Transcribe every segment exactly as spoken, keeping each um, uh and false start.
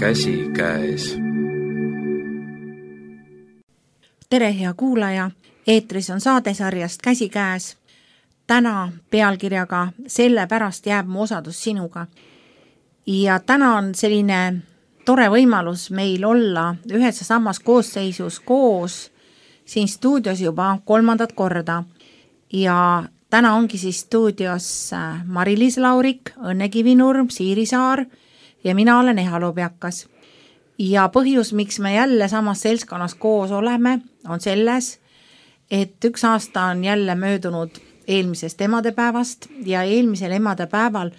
käsikäes. Tere, hea kuulaja! Eetris on saadesarjast Käsikäes. Täna pealkirjaga Sellepärast jääb mu osadus sinuga. Ja täna on selline tore võimalus meil olla ühes ja samas koosseisus koos siin stuudios juba kolmandat korda. Ja täna ongi siis stuudios Mari-Liis Laurik, Õnne Kivinurm, Siiri Saar ja mina olen Eha Lobjakas. Ja põhjus, miks me jälle samas seltskonnas koos oleme, on selles, et üks aasta on jälle möödunud eelmisest emadepäevast ja eelmisel emadepäeval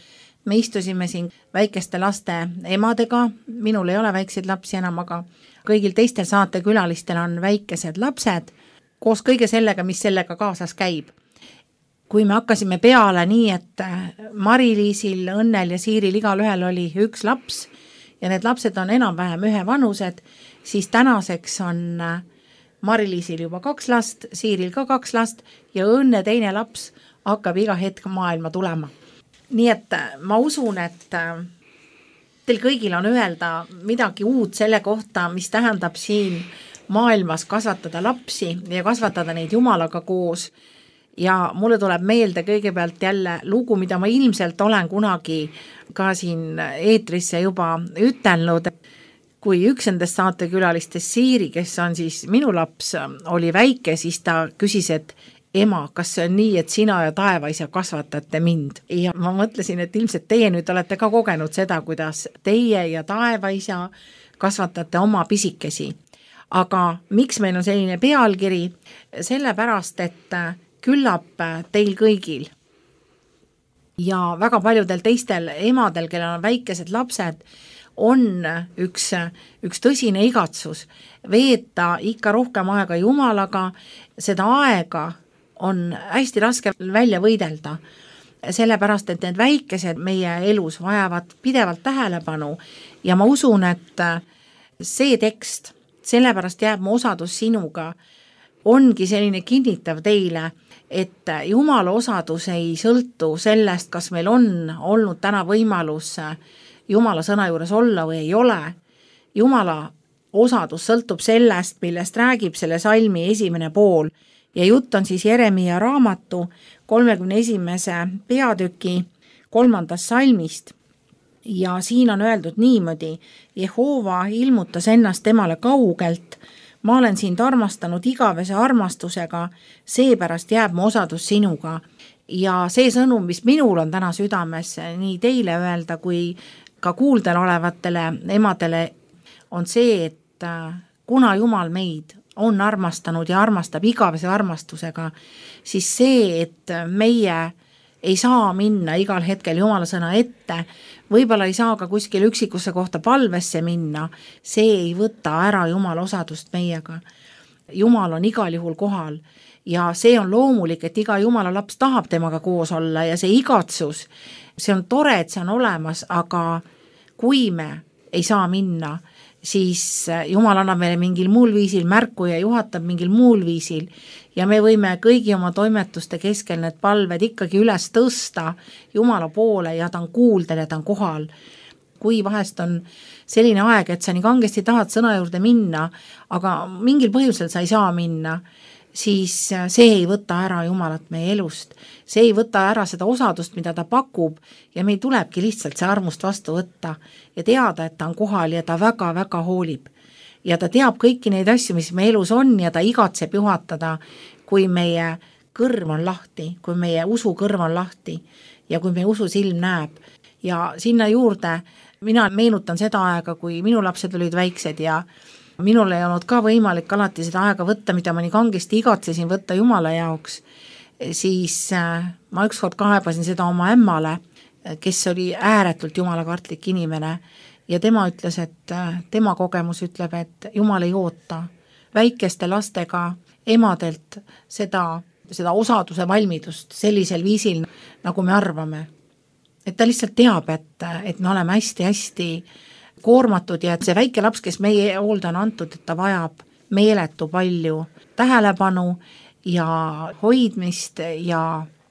me istusime siin väikeste laste emadega. Minul ei ole väikseid lapsi enam, aga kõigil teistel saatekülalistel on väikesed lapsed koos kõige sellega, mis sellega kaasas käib. Kui me hakkasime peale nii, et Mari-Liisil, Õnnel ja Siiril igal ühel oli üks laps ja need lapsed on enam-vähem ühe vanused, siis tänaseks on Mari-Liisil juba kaks last, Siiril ka kaks last ja Õnne teine laps hakkab iga hetk maailma tulema. Nii et ma usun, et teil kõigil on öelda midagi uut selle kohta, mis tähendab siin maailmas kasvatada lapsi ja kasvatada neid Jumalaga koos. Ja mulle tuleb meelde kõigepealt jälle lugu, mida ma ilmselt olen kunagi ka siin eetrisse juba ütelnud. Kui üks endast saatekülalistest Siiri, kes on siis minu laps, oli väike, siis ta küsis, et ema, kas see on nii, et sina ja taevaisa kasvatate mind? Ja ma mõtlesin, et ilmselt teie nüüd olete ka kogenud seda, kuidas teie ja taevaisa kasvatate oma pisikesi. Aga miks meil on selline pealkiri? Sellepärast, et küllap teil kõigil ja väga paljudel teistel emadel, kellel on väikesed lapsed, on üks, üks tõsine igatsus veeta ikka rohkem aega Jumalaga. Seda aega on hästi raske välja võidelda, sellepärast, et need väikesed meie elus vajavad pidevalt tähelepanu ja ma usun, et see tekst, sellepärast jääb mu osadus sinuga, ongi selline kinnitav teile, et Jumala osadus ei sõltu sellest, kas meil on olnud täna võimalus Jumala sõna juures olla või ei ole. Jumala osadus sõltub sellest, millest räägib selle salmi esimene pool ja jutt on siis Jeremia raamatu kolmekümne esimese peatüki kolmandast salmist. Ja siin on öeldud niimoodi: Jehova ilmutas ennast temale kaugelt, ma olen sind armastanud igavese armastusega, seepärast jääb mu osadus sinuga. Ja see sõnum, mis minul on täna südames nii teile öelda kui ka kuuldel olevatele emadele, on see, et kuna Jumal meid on armastanud ja armastab igavese armastusega, siis see, et meie ei saa minna igal hetkel Jumala sõna ette, võib-olla ei saa ka kuskil üksikusse kohta palvesse minna, see ei võta ära Jumala osadust meiega. Jumal on igal juhul kohal ja see on loomulik, et iga Jumala laps tahab temaga koos olla ja see igatsus, see on tore, et see on olemas, aga kui me ei saa minna, siis Jumal annab meile mingil muul viisil märku ja juhatab mingil muul viisil ja me võime kõigi oma toimetuste keskel need palved ikkagi üles tõsta Jumala poole ja ta on kuuldel ja ta on kohal. Kui vahest on selline aeg, et sa nii kangesti tahad sõna juurde minna, aga mingil põhjusel sa ei saa minna, siis see ei võta ära Jumalat meie elust. See ei võta ära seda osadust, mida ta pakub ja meil tulebki lihtsalt see armust vastu võtta ja teada, et ta on kohal ja ta väga-väga hoolib. Ja ta teab kõiki neid asju, mis meie elus on ja ta igatseb juhatada, kui meie kõrv on lahti, kui meie usu kõrv on lahti ja kui meie usu silm näeb. Ja sinna juurde mina meenutan seda aega, kui minu lapsed olid väiksed ja minul ei olnud ka võimalik alati seda aega võtta, mida ma nii kangesti igatsesin võtta Jumala jaoks, siis ma ükskord kaebasin seda oma ämmale, kes oli ääretult jumalakartlik inimene ja tema ütles, et tema kogemus ütleb, et Jumal ei oota väikeste lastega emadelt seda, seda osaduse valmidust sellisel viisil, nagu me arvame. Et ta lihtsalt teab, et, et me oleme hästi-hästi koormatud ja et see väike laps, kes meie hoolda on antud, et ta vajab meeletu palju tähelepanu ja hoidmist ja,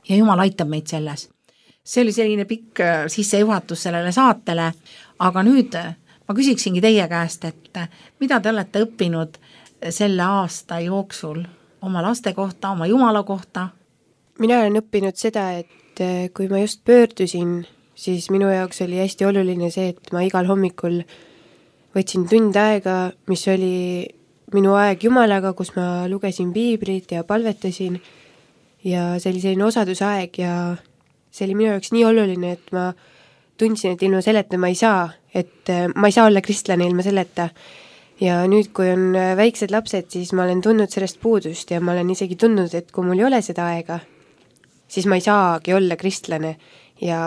ja Jumal aitab meid selles. See oli selline pikk sissejuhatus sellele saatele, aga nüüd ma ma küsiksingi teie käest, et mida te olete õppinud selle aasta jooksul oma laste kohta, oma Jumala kohta? Mina olen õppinud seda, et kui ma just pöördusin, siis minu jaoks oli hästi oluline see, et ma igal hommikul võtsin tund aega, mis oli minu aeg Jumalaga, kus ma lugesin piiblit ja palvetasin ja see oli selline osadusaeg ja see oli minu jaoks nii oluline, et ma tundsin, et ilma selleta ma ei saa, et ma ei saa olla kristlane ilma selleta. Ja nüüd, kui on väiksed lapsed, siis ma olen tundnud sellest puudust ja ma olen isegi tundnud, et kui mul ei ole seda aega, siis ma ei saagi olla kristlane ja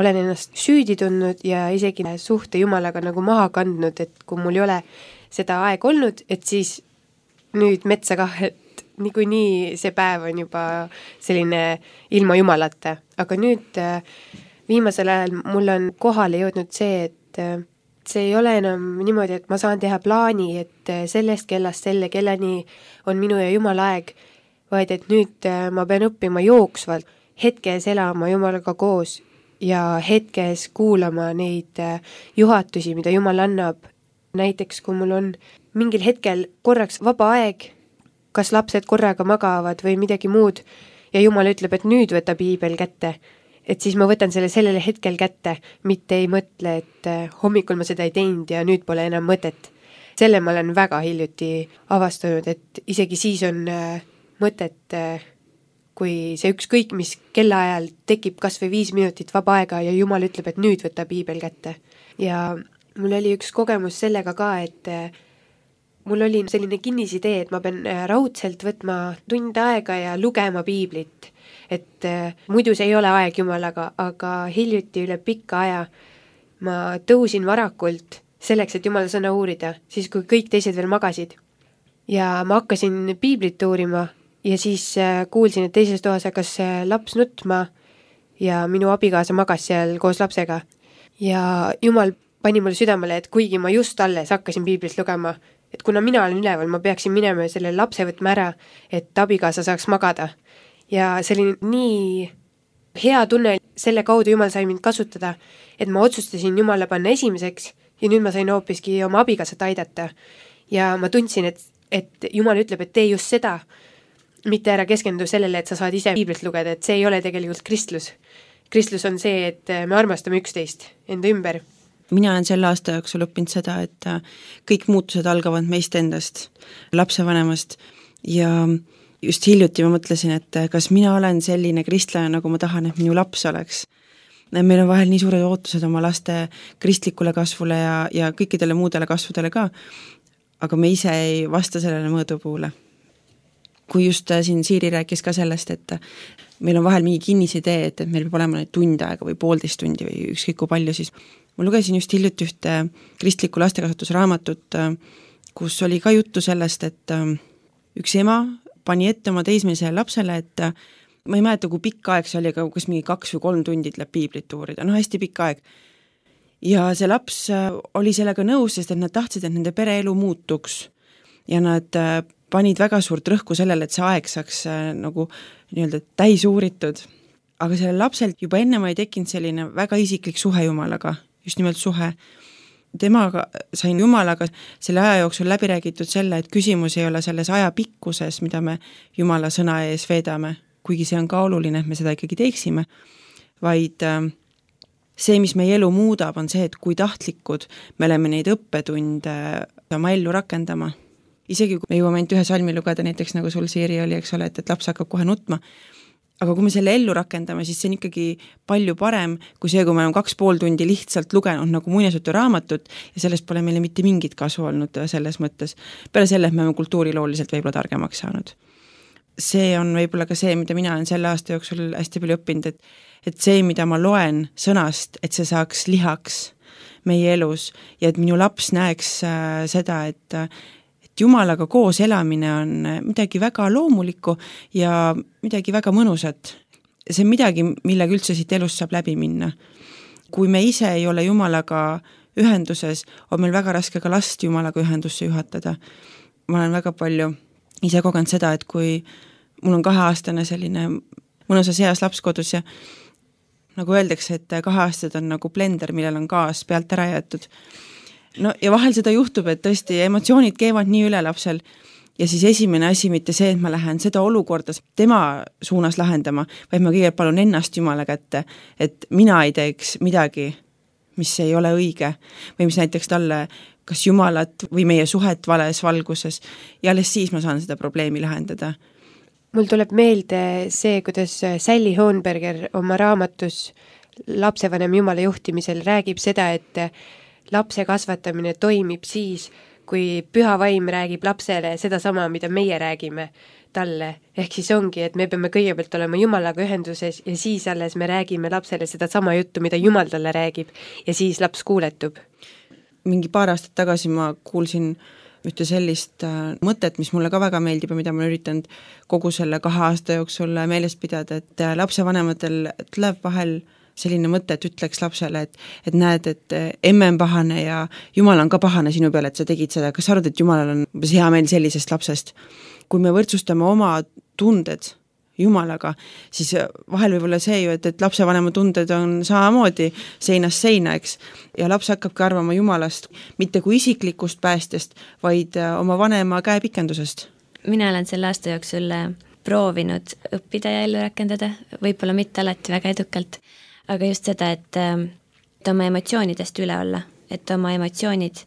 olen ennast süüdi tundnud ja isegi suhte Jumalaga nagu maha kandnud, et kui mul ei ole seda aeg olnud, et siis nüüd metsa kah, et niikuinii see päev on juba selline ilma Jumalata. Aga nüüd viimasel ajal mul on kohale jõudnud see, et see ei ole enam niimoodi, et ma saan teha plaani, et sellest kellast selle kelleni on minu ja Jumala aeg, vaid et nüüd ma pean õppima jooksvalt, hetkes elama Jumalaga koos ja hetkes kuulama neid juhatusi, mida Jumal annab. Näiteks, kui mul on mingil hetkel korraks vaba aeg, kas lapsed korraga magavad või midagi muud ja Jumal ütleb, et nüüd võta piibel kätte, et siis ma võtan selle sellele hetkel kätte, mitte ei mõtle, et hommikul ma seda ei teinud ja nüüd pole enam mõtet. Selle ma olen väga hiljuti avastanud, et isegi siis on mõtet, kui see ükskõik, mis kellaajal tekib kas või viis minutit vaba aega ja Jumal ütleb, et nüüd võta piibel kätte. Ja mul oli üks kogemus sellega ka, et mul oli selline kinnisidee, et ma pean raudselt võtma tund aega ja lugema piiblit, et muidu see ei ole aeg Jumalaga, aga hiljuti üle pikka aja ma tõusin varakult selleks, et Jumala sõna uurida, siis kui kõik teised veel magasid. Ja ma hakkasin piiblit uurima ja siis kuulsin, et teises toas hakkas laps nutma ja minu abikaasa magas seal koos lapsega. Ja Jumal pani mulle südamele, et kuigi ma just alles hakkasin piiblit lugema, et kuna mina olen üleval, ma peaksin minema ja selle lapse võtma ära, et abikaasa saaks magada. Ja see oli nii hea tunne, selle kaudu Jumal sai mind kasutada, et ma otsustasin Jumala panna esimeseks ja nüüd ma sain hoopiski oma abikaasat aidata. Ja ma tundsin, et, et Jumal ütleb, et tee just seda, mitte ära keskendu sellele, et sa saad ise piiblit lugeda, et see ei ole tegelikult kristlus. Kristlus on see, et me armastame üksteist enda ümber. Mina olen selle aasta jooksul õppinud seda, et kõik muutused algavad meist endast, lapsevanemast ja just hiljuti ma mõtlesin, et kas mina olen selline kristlane, nagu ma tahan, et minu laps oleks. Meil on vahel nii suured ootused oma laste kristlikule kasvule ja, ja kõikidele muudele kasvudele ka, aga me ise ei vasta sellele mõõdupuule. Kui just siin Siiri rääkis ka sellest, et meil on vahel mingi kinnisidee, et, et meil peab olema neid tund aega või poolteist tundi või ükskõik kui palju, siis ma lugesin just hiljuti ühte kristlikku lastekasvatusraamatut, kus oli ka juttu sellest, et üks ema pani ette oma teismelisele lapsele, et ma ei mäleta, kui pikk aeg see oli, aga kas mingi kaks või kolm tundid läheb piiblit uurida, no hästi pikk aeg. Ja see laps oli sellega nõus, sest et nad tahtsid, et nende pereelu muutuks ja nad panid väga suurt rõhku sellele, et see aeg saaks nagu nii-öelda täis uuritud. Aga selle lapselt juba enne ma ei tekkinud selline väga isiklik suhe Jumalaga, just nimelt suhe. Temaga sain Jumalaga selle aja jooksul läbi räägitud selle, et küsimus ei ole selles aja pikkuses, mida me Jumala sõna ees veedame, kuigi see on ka oluline, et me seda ikkagi teeksime, vaid see, mis meie elu muudab, on see, et kui tahtlikud me oleme neid õppetunde oma ellu rakendama. Isegi kui me jõuame ainult ühe salmi lugeda, näiteks nagu sul Siiri oli, eks ole, et, et laps hakkab kohe nutma, aga kui me selle ellu rakendame, siis see on ikkagi palju parem kui see, kui me oleme kaks pool tundi lihtsalt lugenud nagu muinasjutu raamatut ja sellest pole meile mitte mingit kasu olnud selles mõttes. Peale selle, et me oleme kultuurilooliselt võib-olla targemaks saanud. See on võib-olla ka see, mida mina olen selle aasta jooksul hästi palju õppinud, et, et see, mida ma loen sõnast, et see saaks lihaks meie elus ja et minu laps näeks äh, seda, et Jumalaga koos elamine on midagi väga loomulikku ja midagi väga mõnusat. See on midagi, millega üldse siit elust saab läbi minna. Kui me ise ei ole Jumalaga ühenduses, on meil väga raske ka last Jumalaga ühendusse juhatada. Ma olen väga palju ise kogenud seda, et kui mul on kaheaastane selline mõnusas heas laps kodus ja nagu öeldakse, et kaheaastased on nagu blender, millel on gaas pealt ära jäetud. no ja vahel seda juhtub, et tõesti emotsioonid keevad nii üle lapsel ja siis esimene asi mitte see, et ma lähen seda olukorda tema suunas lahendama, vaid ma kõigepealt palun ennast Jumala kätte, et mina ei teeks midagi, mis ei ole õige või mis näiteks talle kas Jumalat või meie suhet vales valguses ja alles siis ma saan seda probleemi lahendada. Mul tuleb meelde see, kuidas Sally Hohenberger oma raamatus lapsevanem Jumala juhtimisel räägib seda, et lapse kasvatamine toimib siis, kui püha vaim räägib lapsele seda sama, mida meie räägime talle. Ehk siis ongi, et me peame kõigepealt olema Jumalaga ühenduses ja siis alles me räägime lapsele seda sama juttu, mida Jumal talle räägib ja siis laps kuuletub. Mingi paar aastat tagasi ma kuulsin ühte sellist äh, mõtet, mis mulle ka väga meeldib ja mida ma üritanud kogu selle kahe aasta jooksul meeles pidada, et äh, lapsevanematel tuleb vahel selline mõte, et ütleks lapsele, et, et näed, et emme on pahane ja Jumal on ka pahane sinu peale, et sa tegid seda. Kas sa arvad, et Jumalal on hea meel sellisest lapsest? Kui me võrdsustame oma tunded Jumalaga, siis vahel võib olla see ju, et, et lapsevanema tunded on samamoodi seinast seina, eks. Ja laps hakkabki arvama Jumalast, mitte kui isiklikust päästest, vaid oma vanema käepikendusest. Mina olen selle aasta jooksul proovinud õppida ja ellu rakendada, võib-olla mitte alati väga edukalt, aga just seda, et, et oma emotsioonidest üle olla, et oma emotsioonid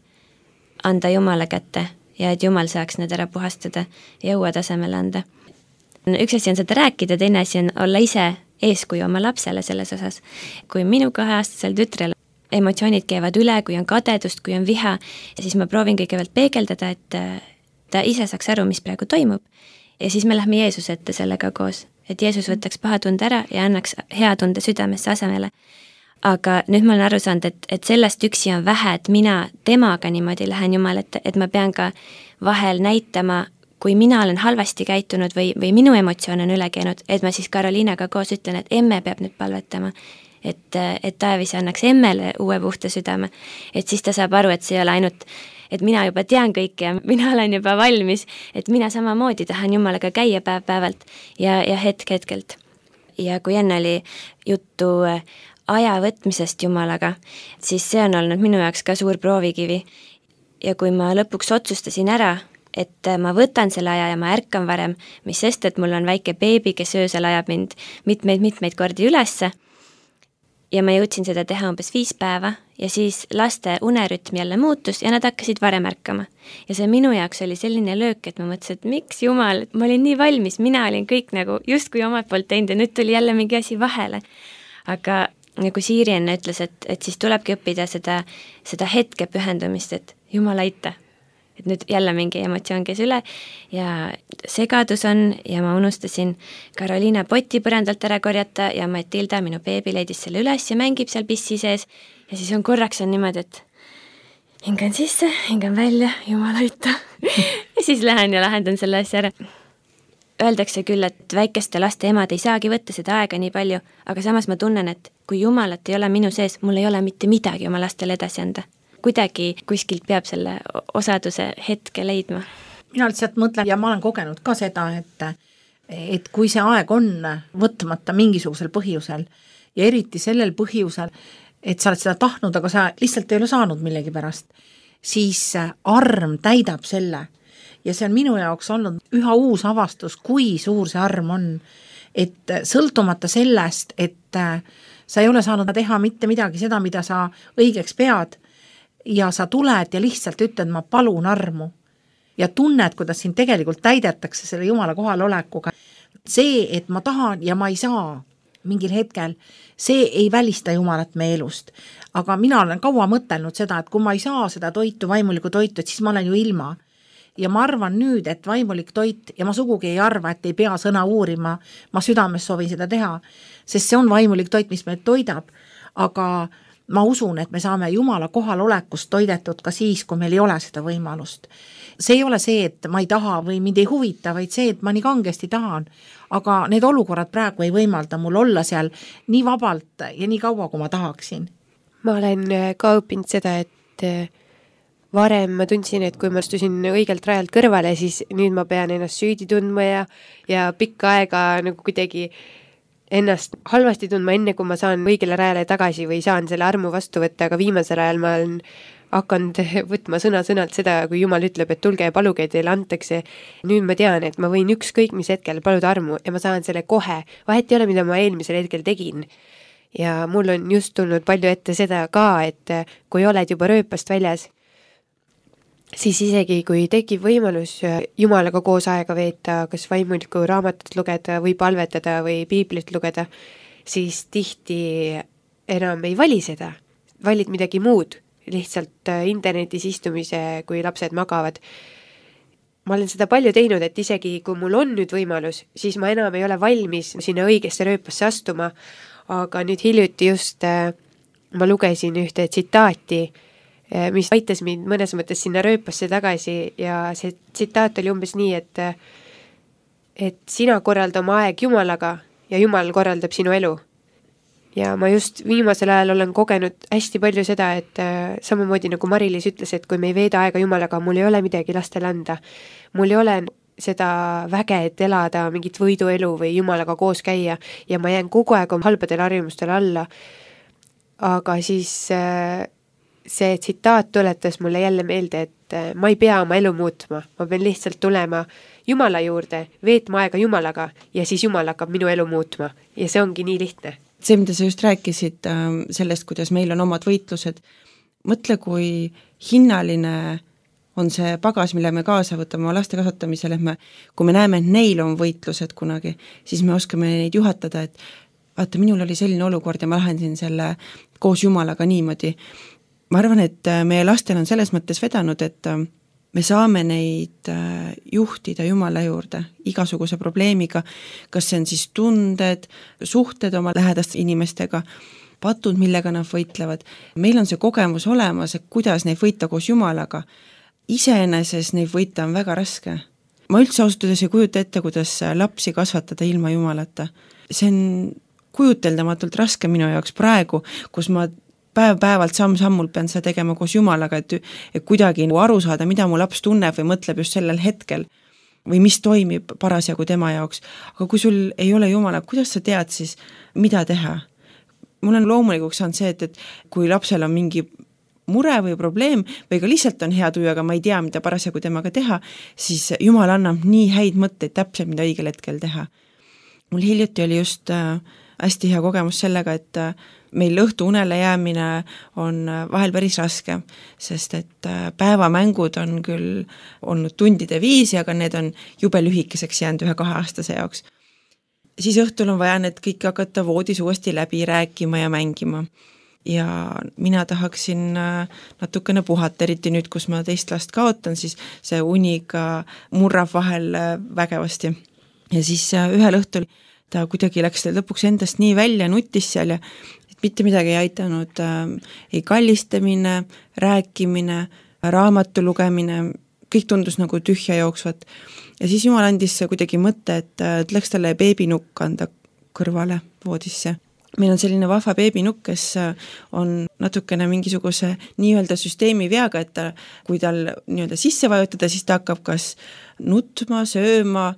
anda Jumala kätte ja et Jumal saaks need ära puhastada ja uue tasemele anda. Üks asi on seda rääkida, teine asi on olla ise eeskuju oma lapsele selles osas. Kui minu kaheaastasel tütrel emotsioonid käivad üle, kui on kadedust, kui on viha, ja siis ma proovin kõigepealt peegeldada, et ta ise saaks aru, mis praegu toimub. Ja siis me lähme Jeesus ette sellega koos, et Jeesus võtaks paha tunde ära ja annaks hea tunde südamesse asemele. Aga nüüd ma olen aru saanud, et, et sellest üksi on vähe, et mina temaga niimoodi lähen Jumal, et, et ma pean ka vahel näitama, kui mina olen halvasti käitunud või, või minu emotsioon on üle käinud, et ma siis Karoliinaga koos ütlen, et emme peab nüüd palvetama, et, et Taevis annaks emmele uue puhta südame, et siis ta saab aru, et see ei ole ainult, et mina juba tean kõike ja mina olen juba valmis, et mina samamoodi tahan Jumalaga käia päev-päevalt ja, ja hetk hetkelt. Ja kui enne oli juttu aja võtmisest Jumalaga, siis see on olnud minu jaoks ka suur proovikivi. Ja kui ma lõpuks otsustasin ära, et ma võtan selle aja ja ma ärkan varem, mis sest, et mul on väike beebi, kes öösel ajab mind mitmeid-mitmeid kordi ülesse ja ma jõudsin seda teha umbes viis päeva ja siis laste unerütm jälle muutus ja nad hakkasid varem ärkama. Ja see minu jaoks oli selline löök, et ma mõtlesin, et miks Jumal, ma olin nii valmis, mina olin kõik nagu justkui omalt poolt teinud ja nüüd tuli jälle mingi asi vahele. Aga nagu Siiri enne ütles, et, et siis tulebki õppida seda, seda hetke pühendumist, et Jumal aita. Et nüüd jälle mingi emotsioon käis üle ja segadus on ja ma unustasin Karoliina poti põrandalt ära korjata ja Matilda, minu beebi, leidis selle üles ja mängib seal pissi sees ja siis on korraks on niimoodi, et hingan sisse, hingan välja, Jumal aita ja siis lähen ja lahendan selle asja ära. Öeldakse küll, et väikeste laste emad ei saagi võtta seda aega nii palju, aga samas ma tunnen, et kui Jumalat ei ole minu sees, mul ei ole mitte midagi oma lastele edasi anda. Kuidagi kuskilt peab selle osaduse hetke leidma. Mina lihtsalt mõtlen ja ma olen kogenud ka seda, et, et kui see aeg on võtmata mingisugusel põhjusel ja eriti sellel põhjusel, et sa oled seda tahtnud, aga sa lihtsalt ei ole saanud millegi pärast, siis arm täidab selle. Ja see on minu jaoks olnud üha uus avastus, kui suur see arm on, et sõltumata sellest, et sa ei ole saanud teha mitte midagi seda, mida sa õigeks pead, ja sa tuled ja lihtsalt ütled, ma palun armu ja tunned, kuidas siin tegelikult täidetakse selle Jumala kohal olekuga. See, et ma tahan ja ma ei saa mingil hetkel, see ei välista Jumalat meie elust. Aga mina olen kaua mõtelnud seda, et kui ma ei saa seda toitu, vaimulikku toitu, et siis ma olen ju ilma. Ja ma arvan nüüd, et vaimulik toit, ja ma sugugi ei arva, et ei pea sõna uurima, ma südames soovin seda teha, sest see on vaimulik toit, mis meid toidab, aga ma usun, et me saame Jumala kohal olekust toidetud ka siis, kui meil ei ole seda võimalust. See ei ole see, et ma ei taha või mind ei huvita, vaid see, et ma nii kangesti tahan. Aga need olukorrad praegu ei võimalda mul olla seal nii vabalt ja nii kaua, kui ma tahaksin. Ma olen ka õppinud seda, et varem ma tundsin, et kui ma astusin õigelt rajalt kõrvale, siis nüüd ma pean ennast süüdi tundma ja, ja pikka aega nagu kuidagi ennast halvasti tundma enne, kui ma saan õigele rajale tagasi või saan selle armu vastu võtta, aga viimasel ajal ma olen hakanud võtma sõna-sõnalt seda, kui Jumal ütleb, et tulge ja paluge, teile antakse. Nüüd ma tean, et ma võin ükskõik mis hetkel paluda armu ja ma saan selle kohe. Vahet ei ole, mida ma eelmisel hetkel tegin. Ja mul on just tulnud palju ette seda ka, et kui oled juba rööpast väljas, siis isegi kui tekib võimalus Jumalaga koos aega veeta, kas vaimuliku raamatut lugeda või palvetada või piiblit lugeda, siis tihti enam ei vali seda. Valid midagi muud, lihtsalt internetis istumise, kui lapsed magavad. Ma olen seda palju teinud, et isegi kui mul on nüüd võimalus, siis ma enam ei ole valmis sinna õigesse rööpasse astuma, aga nüüd hiljuti just ma lugesin ühte tsitaati, mis aitas mind mõnes mõttes sinna rööpasse tagasi ja see tsitaat oli umbes nii, et, et sina korralda oma aeg Jumalaga ja Jumal korraldab sinu elu. Ja ma just viimasel ajal olen kogenud hästi palju seda, et äh, samamoodi nagu Mari-Liis ütles, et kui me ei veeda aega Jumalaga, mul ei ole midagi lastele anda. Mul ei ole seda väge, et elada mingit võiduelu või Jumalaga koos käia ja ma jään kogu aeg oma halbadele harjumustele alla. Aga siis äh, see tsitaat tuletas mulle jälle meelde, et äh, ma ei pea oma elu muutma, ma pean lihtsalt tulema Jumala juurde, veetma aega Jumalaga ja siis Jumal hakkab minu elu muutma ja see ongi nii lihtne. See, mida sa just rääkisid sellest, kuidas meil on omad võitlused, mõtle, kui hinnaline on see pagas, mille me kaasa võtame oma laste kasvatamisel, et me, kui me näeme, et neil on võitlused kunagi, siis me oskame neid juhatada, et vaata, minul oli selline olukord ja ma lahendasin selle koos Jumalaga niimoodi. Ma arvan, et meie lastel on selles mõttes vedanud, et me saame neid juhtida Jumala juurde igasuguse probleemiga, kas see on siis tunded, suhted oma lähedaste inimestega, patud, millega nad võitlevad. Meil on see kogemus olemas, et kuidas neid võita koos Jumalaga. Iseeneses neid võita on väga raske. Ma üldse ausutades ei kujuta ette, kuidas lapsi kasvatada ilma Jumalata. See on kujuteldamatult raske minu jaoks praegu, kus ma päev-päevalt samm-sammult pean seda tegema koos Jumalaga, et, et kuidagi aru saada, mida mu laps tunneb või mõtleb just sellel hetkel või mis toimib parasjagu tema jaoks. Aga kui sul ei ole Jumala, kuidas sa tead siis, mida teha? Mul on loomulikuks saanud see, et, et kui lapsel on mingi mure või probleem või ka lihtsalt on hea tuju, aga ma ei tea, mida parasjagu temaga teha, siis Jumal annab nii häid mõtteid täpselt, mida õigel hetkel teha. Mul hiljuti oli just äh, hästi hea kogemus sellega, et äh, meil õhtu unele jäämine on vahel päris raske, sest et päevamängud on küll olnud tundide viisi, aga need on jube lühikeseks jäänud ühe kahe aastase jaoks. Siis õhtul on vaja need kõik hakata voodis uuesti läbi rääkima ja mängima. Ja mina tahaksin natukene puhata, eriti nüüd, kus ma teist last kaotan, siis see uniga murrab vahel vägevasti. Ja siis ühel õhtul ta kuidagi läks lõpuks endast nii välja, nuttis seal ja mitte midagi ei aitanud, äh, ei kallistamine, rääkimine, raamatu lugemine, kõik tundus nagu tühja jooksvat. Ja siis Jumal andis kuidagi mõtte, et, et läks talle beebinukk anda kõrvale voodisse. Meil on selline vahva beebinukk, kes on natukene mingisuguse nii-öelda süsteemi veaga, et ta, kui tal nii-öelda sisse vajutada, siis ta hakkab kas nutma, sööma,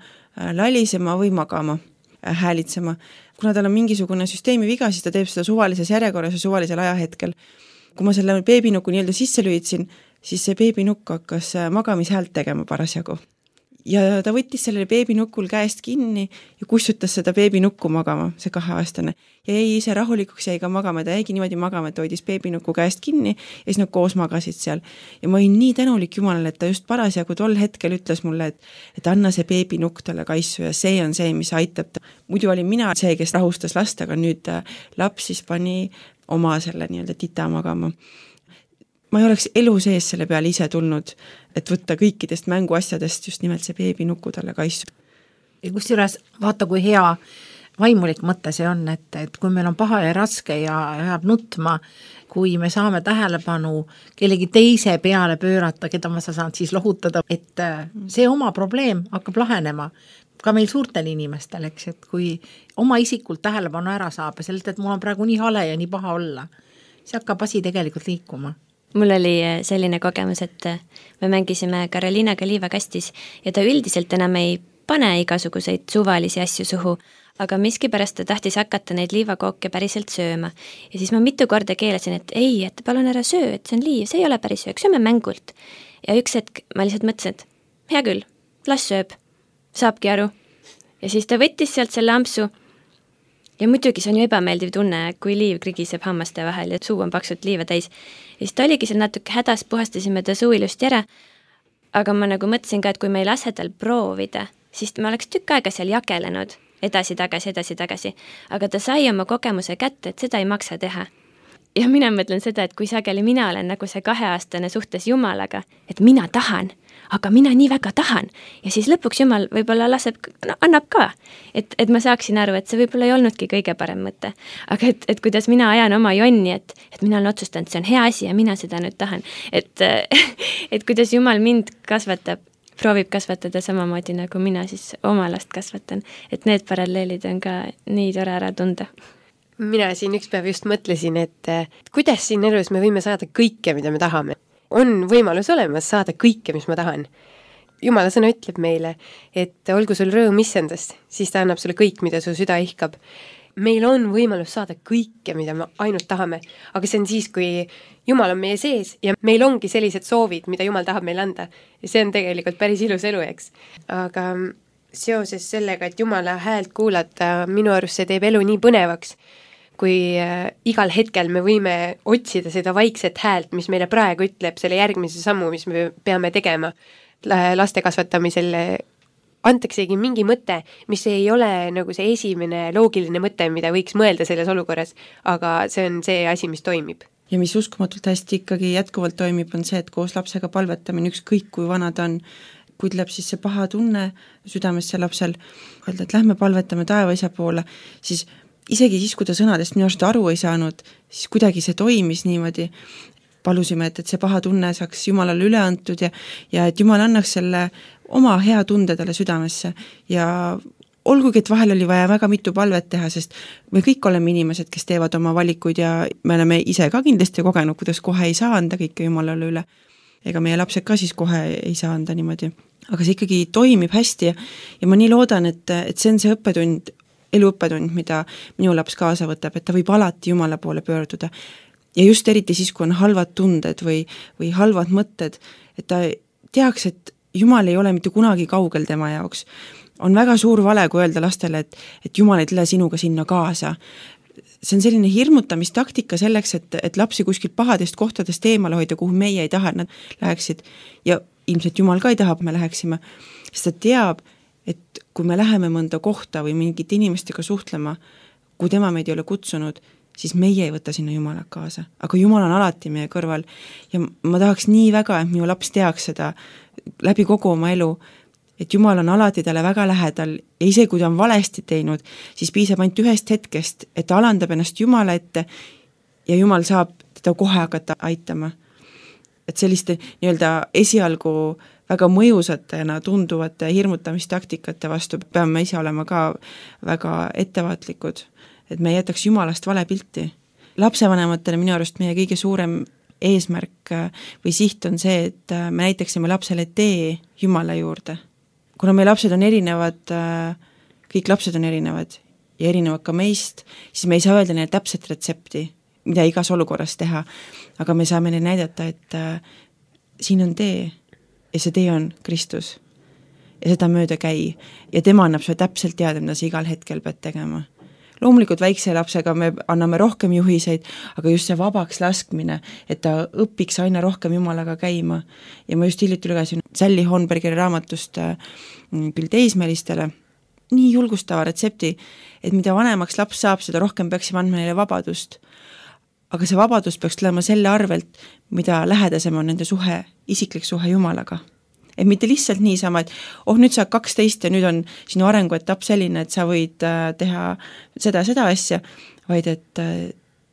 lalisema või magama, häälitsema. Kuna tal on mingisugune süsteemi viga, siis ta teeb seda suvalises järjekorras ja suvalisel ajahetkel. Kui ma selle beebinuku nii-öelda sisse lüütsin, siis see beebinukk hakkas magamishäält tegema parasjagu. Ja ta võttis sellele beebinukul käest kinni ja kustutas seda beebinukku magama, see kaheaastane. Ja jäi ise rahulikuks, jäi ka magama, ta jäigi niimoodi magama, et hoidis beebinuku käest kinni ja siis nad koos magasid seal. Ja ma olin nii tänulik Jumalale, et ta just parasjagu tol hetkel ütles mulle, et, et anna see beebinukk talle kaisu ja see on see, mis aitab ta. Muidu olin mina see, kes rahustas last, aga nüüd laps siis pani oma selle nii-öelda tita magama. Ma ei oleks elu sees selle peale ise tulnud, et võtta kõikidest mänguasjadest just nimelt see beebinuku talle kaisu. Ja kusjuures vaata, kui hea vaimulik mõte see on, et, et kui meil on paha ja raske ja jääb nutma, kui me saame tähelepanu kellegi teise peale pöörata, keda ma saan siis lohutada, et see oma probleem hakkab lahenema ka meil suurtel inimestel, eks, et kui oma isikult tähelepanu ära saab ja sellelt, et mul on praegu nii hale ja nii paha olla, see hakkab asi tegelikult liikuma. Mul oli selline kogemus, et me mängisime Karoliinaga liivakastis ja ta üldiselt enam ei pane igasuguseid suvalisi asju suhu, aga miskipärast ta tahtis hakata neid liivakooke päriselt sööma. Ja siis ma mitu korda keelasin, et ei, et palun ära söö, et see on liiv, see ei ole päris söök, sööme mängult. Ja üks hetk ma lihtsalt mõtlesin, et hea küll, las sööb, saabki aru. Ja siis ta võttis sealt selle ampsu ja muidugi see on ju ebameeldiv tunne, kui liiv krigiseb hammaste vahel ja suu on paksult liiva täis. Ja siis ta oligi seal natuke hädas, puhastasime ta suu ilusti ära, aga ma nagu mõtlesin ka, et kui me ei lase tal proovida, siis me oleks tükk aega seal jakelenud edasi-tagasi, edasi-tagasi, aga ta sai oma kogemuse kätte, et seda ei maksa teha. Ja mina mõtlen seda, et kui sageli mina olen nagu see kaheaastane suhtes Jumalaga, et mina tahan, aga mina nii väga tahan ja siis lõpuks Jumal võib-olla laseb, no, annab ka, et, et ma saaksin aru, et see võib-olla ei olnudki kõige parem mõte, aga et, et kuidas mina ajan oma jonni, et, et mina olen otsustanud, see on hea asi ja mina seda nüüd tahan, et, et kuidas Jumal mind kasvatab, proovib kasvatada samamoodi nagu mina siis oma last kasvatan, et need paralleelid on ka nii tore ära tunda. Mina siin üks päev just mõtlesin, et kuidas siin elus me võime saada kõike, mida me tahame. On võimalus olemas saada kõike, mis ma tahan. Jumala sõna ütleb meile, et olgu sul rõõm issandast, siis ta annab sulle kõik, mida su süda ihkab. Meil on võimalus saada kõike, mida me ainult tahame, aga see on siis, kui Jumal on meie sees ja meil ongi sellised soovid, mida Jumal tahab meile anda. Ja see on tegelikult päris ilus elu, eks. Aga seoses sellega, et Jumala häält kuulata, minu arust see teeb elu nii põnevaks, kui äh, igal hetkel me võime otsida seda vaikset häält, mis meile praegu ütleb selle järgmise sammu, mis me peame tegema laste kasvatamisel, antaksegi mingi mõte, mis ei ole nagu see esimene loogiline mõte, mida võiks mõelda selles olukorras, aga see on see asi, mis toimib. Ja mis uskumatult hästi ikkagi jätkuvalt toimib, on see, et koos lapsega palvetamine, ükskõik kui vana ta on, kui tuleb siis see paha tunne südamesse lapsel, öelda, et lähme palvetame taevaisa poole, siis isegi siis, kui ta sõnadest minu arust aru ei saanud, siis kuidagi see toimis niimoodi. Palusime, et, et see paha tunne saaks Jumalale üle antud ja, ja et Jumal annaks selle oma hea tunde talle südamesse. Ja olgugi, et vahel oli vaja väga mitu palvet teha, sest me kõik oleme inimesed, kes teevad oma valikuid ja me oleme ise ka kindlasti kogenud, kuidas kohe ei saa anda kõike Jumalale üle. Ega meie lapsed ka siis kohe ei saa anda niimoodi. Aga see ikkagi toimib hästi ja, ja ma nii loodan, et, et see on see õppetund, eluõppetund, mida minu laps kaasa võtab, et ta võib alati Jumala poole pöörduda. Ja just eriti siis, kui on halvad tunded või, või halvad mõtted, et ta teaks, et Jumal ei ole mitte kunagi kaugel tema jaoks. On väga suur vale, kui öelda lastele, et, et Jumal ei tule sinuga sinna kaasa. See on selline hirmutamistaktika selleks, et, et lapsi kuskilt pahadest kohtadest eemale hoida, kuhu meie ei taha, et nad läheksid. Ja ilmselt Jumal ka ei taha, et me läheksime, sest ta teab, et kui me läheme mõnda kohta või mingite inimestega suhtlema, kui tema meid ei ole kutsunud, siis meie ei võta sinna Jumalat kaasa. Aga Jumal on alati meie kõrval ja ma tahaks nii väga, et minu laps teaks seda läbi kogu oma elu, et Jumal on alati talle väga lähedal ja ise kui ta on valesti teinud, siis piisab ainult ühest hetkest, et ta alandab ennast Jumala ette ja Jumal saab teda kohe hakata aitama. Et selliste nii-öelda esialgu väga mõjusatena tunduvate hirmutamistaktikate vastu peame ise olema ka väga ettevaatlikud, et me ei jätaks Jumalast vale pilti. Lapsevanematele minu arust meie kõige suurem eesmärk või siht on see, et me näitaksime lapsele tee Jumala juurde. Kuna meie lapsed on erinevad, kõik lapsed on erinevad ja erinevad ka meist, siis me ei saa öelda neile täpset retsepti, mida igas olukorras teha, aga me saame neile näidata, et siin on tee ja see tee on Kristus ja seda mööda käi ja tema annab sulle täpselt teada, mida sa igal hetkel pead tegema. Loomulikult väikse lapsega me anname rohkem juhiseid, aga just see vabaks laskmine, et ta õpiks aina rohkem Jumalaga käima. Ja ma just hiljuti lugesin Sally Hornbergeri raamatust küll teismelistele nii julgustava retsepti, et mida vanemaks laps saab, seda rohkem peaksime andma neile vabadust. Aga see vabadus peaks tulema selle arvelt, mida lähedasem on nende suhe, isiklik suhe Jumalaga. Et mitte lihtsalt niisama, et oh, nüüd sa kaksteist ja nüüd on sinu arenguetapp selline, et sa võid teha seda, seda asja, vaid et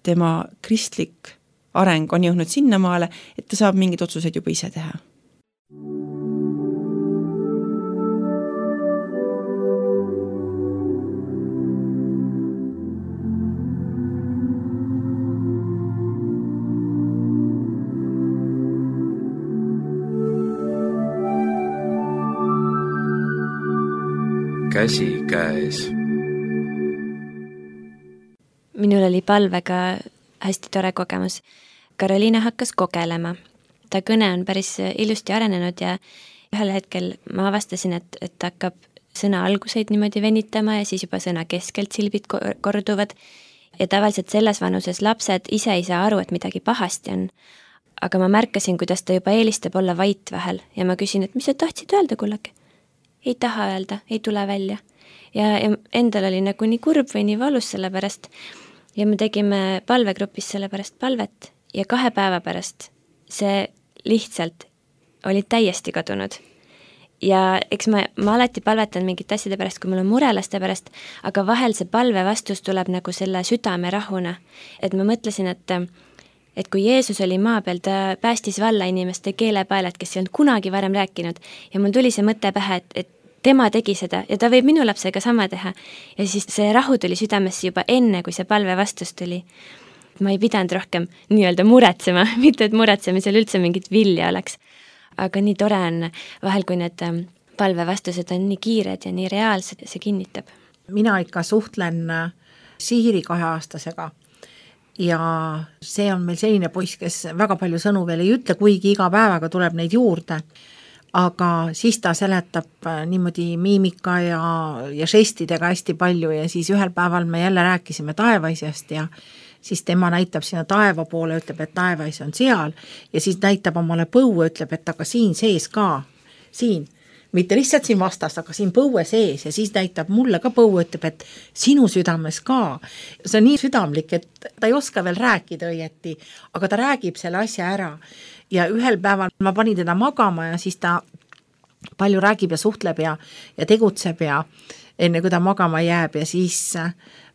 tema kristlik areng on jõudnud sinnamaale, et ta saab mingid otsused juba ise teha. käsikäes. Minul oli palvega hästi tore kogemus. Karoliina hakkas kogelema. Ta kõne on päris ilusti arenenud ja ühel hetkel ma avastasin, et, et ta hakkab sõna alguseid niimoodi venitama ja siis juba sõna keskelt silbid korduvad. Ja tavaliselt selles vanuses lapsed ise ei saa aru, et midagi pahasti on. Aga ma märkasin, kuidas ta juba eelistab olla vait vahel ja ma küsin, et mis sa tahtsid öelda, kullake? Ei taha öelda, ei tule välja. Ja, ja endal oli nagu nii kurb või nii valus selle pärast. Ja me tegime palvegrupis selle pärast palvet ja kahe päeva pärast see lihtsalt oli täiesti kadunud. Ja eks ma, ma alati palvetan mingite asjade pärast, kui mul on mure laste pärast, aga vahel see palve vastus tuleb nagu selle südame rahuna. Et ma mõtlesin, et, et kui Jeesus oli maa peal, ta päästis valla inimeste keelepaelad, kes ei olnud kunagi varem rääkinud ja mul tuli see mõte pähe, et, et tema tegi seda ja ta võib minu lapsega sama teha. Ja siis see rahu tuli südamesse juba enne, kui see palve vastus tuli. Ma ei pidanud rohkem nii-öelda muretsema, mitte et muretsemisel üldse mingit vilja oleks. Aga nii tore on vahel, kui need palvevastused on nii kiired ja nii reaalsed, see kinnitab. Mina ikka suhtlen Siiri kaheaastasega ja see on meil selline poiss, kes väga palju sõnu veel ei ütle, kuigi iga päevaga tuleb neid juurde. Aga siis ta seletab niimoodi miimika ja, ja žestidega hästi palju ja siis ühel päeval me jälle rääkisime taevaisjast ja siis tema näitab sinna taeva poole, ütleb, et taevais on seal ja siis näitab omale põue, ütleb, et aga siin sees ka, siin, mitte lihtsalt siin vastas, aga siin põue sees ja siis näitab mulle ka põue, ütleb, et sinu südames ka. See on nii südamlik, et ta ei oska veel rääkida õieti, aga ta räägib selle asja ära ja ühel päeval ma panin teda magama ja siis ta palju räägib ja suhtleb ja, ja tegutseb ja enne kui ta magama jääb ja siis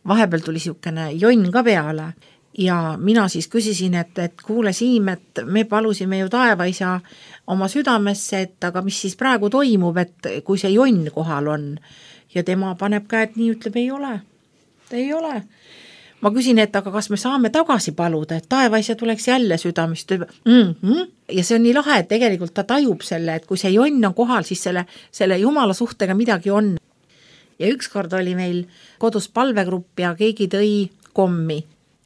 vahepeal tuli siukene jonn ka peale ja mina siis küsisin, et, et kuule Siim, et me palusime ju taevaisa oma südamesse, et aga mis siis praegu toimub, et kui see jonn kohal on ja tema paneb käed nii, ütleb, ei ole, ei ole. Ma küsin, et aga kas me saame tagasi paluda, et taevaisa tuleks jälle südamist mm-hmm. ja see on nii lahe, et tegelikult ta tajub selle, et kui see jonn on kohal, siis selle, selle jumala suhtega midagi on. Ja ükskord oli meil kodus palvegrupp ja keegi tõi kommi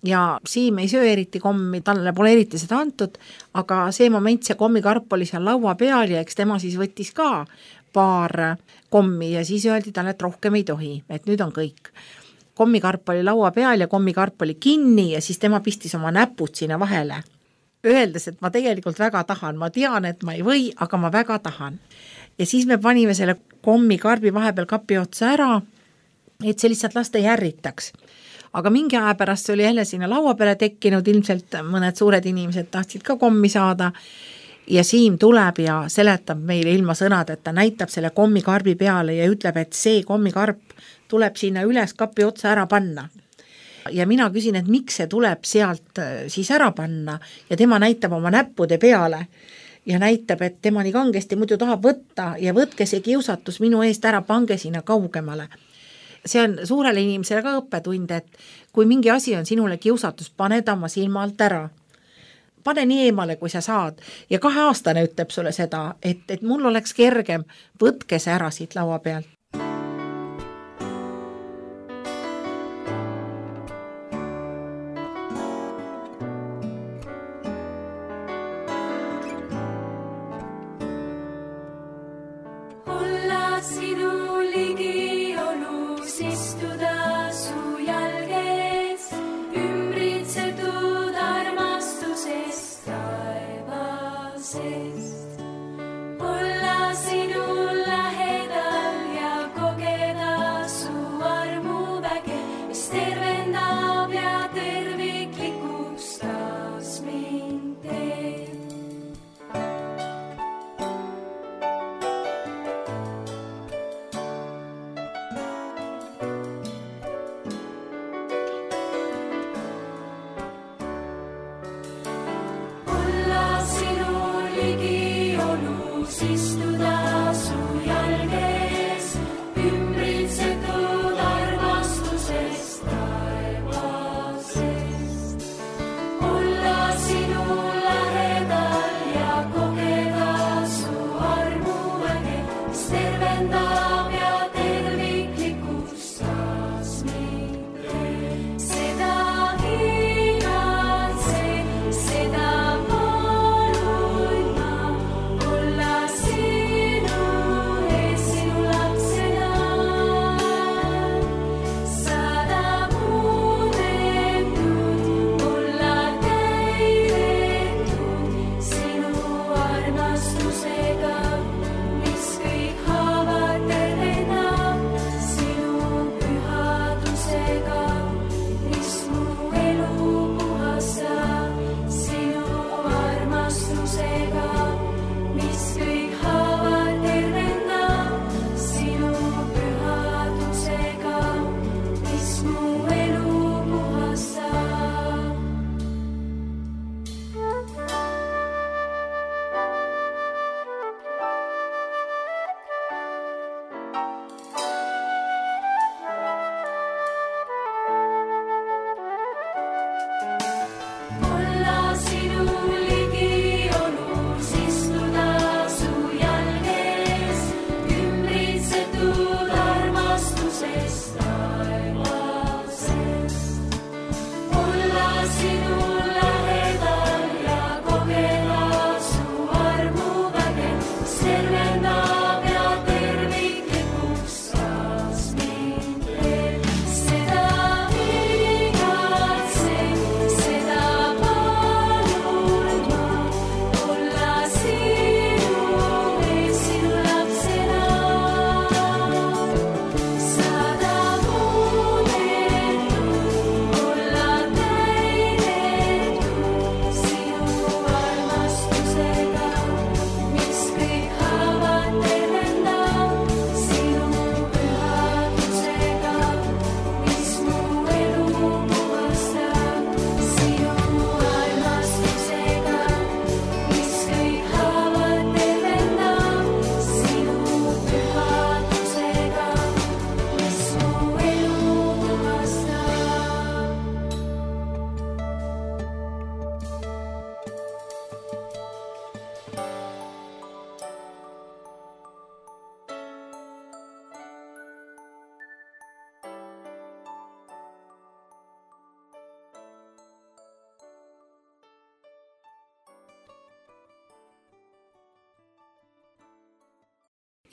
ja Siim ei söö eriti kommi, talle pole eriti seda antud, aga see moment, see kommikarp oli seal laua peal ja eks tema siis võttis ka paar kommi ja siis öeldi talle, et rohkem ei tohi, et nüüd on kõik. Kommikarp oli laua peal ja kommikarp oli kinni ja siis tema pistis oma näpud sinna vahele. Öeldes, et ma tegelikult väga tahan, ma tean, et ma ei või, aga ma väga tahan. Ja siis me panime selle kommikarbi vahepeal kapi otsa ära, et see lihtsalt lasta järritaks. Aga mingi aja pärast see oli jälle sinna laua peale tekkinud, ilmselt mõned suured inimesed tahtsid ka kommi saada ja Siim tuleb ja seletab meile ilma sõnad, et ta näitab selle kommikarbi peale ja ütleb, et see kommikarp tuleb sinna üles kapi otsa ära panna. Ja mina küsin, et miks see tuleb sealt siis ära panna ja tema näitab oma näppude peale ja näitab, et tema nii kangesti muidu tahab võtta ja võtke see kiusatus minu eest ära, pange sinna kaugemale. See on suurele inimesele ka õppetund, et kui mingi asi on sinule kiusatus, pane ta oma silma alt ära. Pane nii eemale, kui sa saad. Ja kahe aastane ütleb sulle seda, et, et mul oleks kergem, võtke see ära siit laua pealt. tervendab ja tervik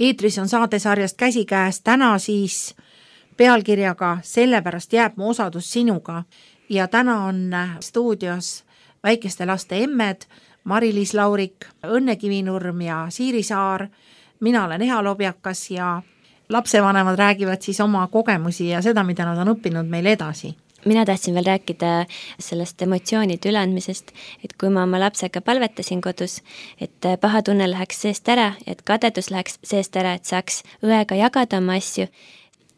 eetris on saatesarjast Käsikäes täna siis pealkirjaga Sellepärast jääb mu osadus sinuga ja täna on stuudios väikeste laste emmed Mari-Liis Laurik, Õnne Kivinurm ja Siiri Saar. Mina olen Eha Lobjakas ja lapsevanemad räägivad siis oma kogemusi ja seda, mida nad on õppinud meile edasi. Mina tahtsin veel rääkida sellest emotsioonide üleandmisest, et kui ma oma lapsega palvetasin kodus, et paha tunne läheks seest ära, et kadedus läheks seest ära, et saaks õega jagada oma asju,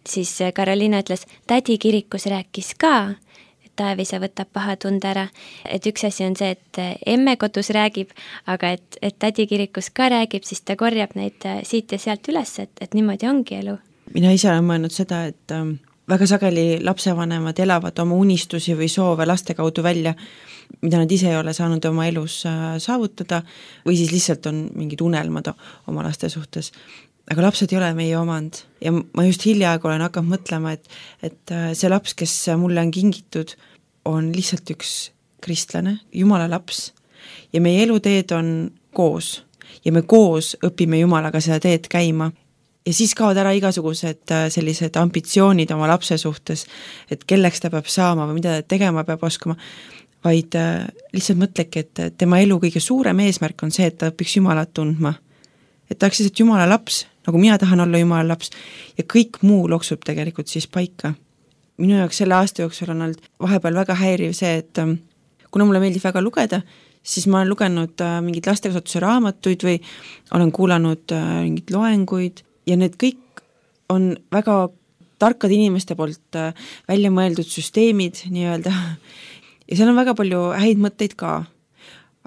siis Karoliina ütles, tädi kirikus rääkis ka, et Taevisa võtab paha tunde ära. Et üks asi on see, et emme kodus räägib, aga et, et tädi kirikus ka räägib, siis ta korjab neid siit ja sealt üles, et, et niimoodi ongi elu. Mina ise olen mõelnud seda, et väga sageli lapsevanemad elavad oma unistusi või soove laste kaudu välja, mida nad ise ei ole saanud oma elus saavutada või siis lihtsalt on mingid unelmad oma laste suhtes. Aga lapsed ei ole meie omand ja ma just hiljaaegu olen hakanud mõtlema, et, et see laps, kes mulle on kingitud, on lihtsalt üks kristlane, Jumala laps ja meie eluteed on koos ja me koos õpime Jumalaga seda teed käima. Ja siis kaovad ära igasugused sellised ambitsioonid oma lapse suhtes, et kelleks ta peab saama või mida ta tegema peab oskama, vaid lihtsalt mõtlegi, et tema elu kõige suurem eesmärk on see, et ta õpiks Jumalat tundma. Et ta oleks lihtsalt Jumala laps, nagu mina tahan olla Jumala laps ja kõik muu loksub tegelikult siis paika. Minu jaoks selle aasta jooksul on olnud vahepeal väga häiriv see, et kuna mulle meeldib väga lugeda, siis ma olen lugenud mingid lastekasvatuse raamatuid või olen kuulanud mingid loenguid ja need kõik on väga tarkad inimeste poolt välja mõeldud süsteemid nii-öelda ja seal on väga palju häid mõtteid ka,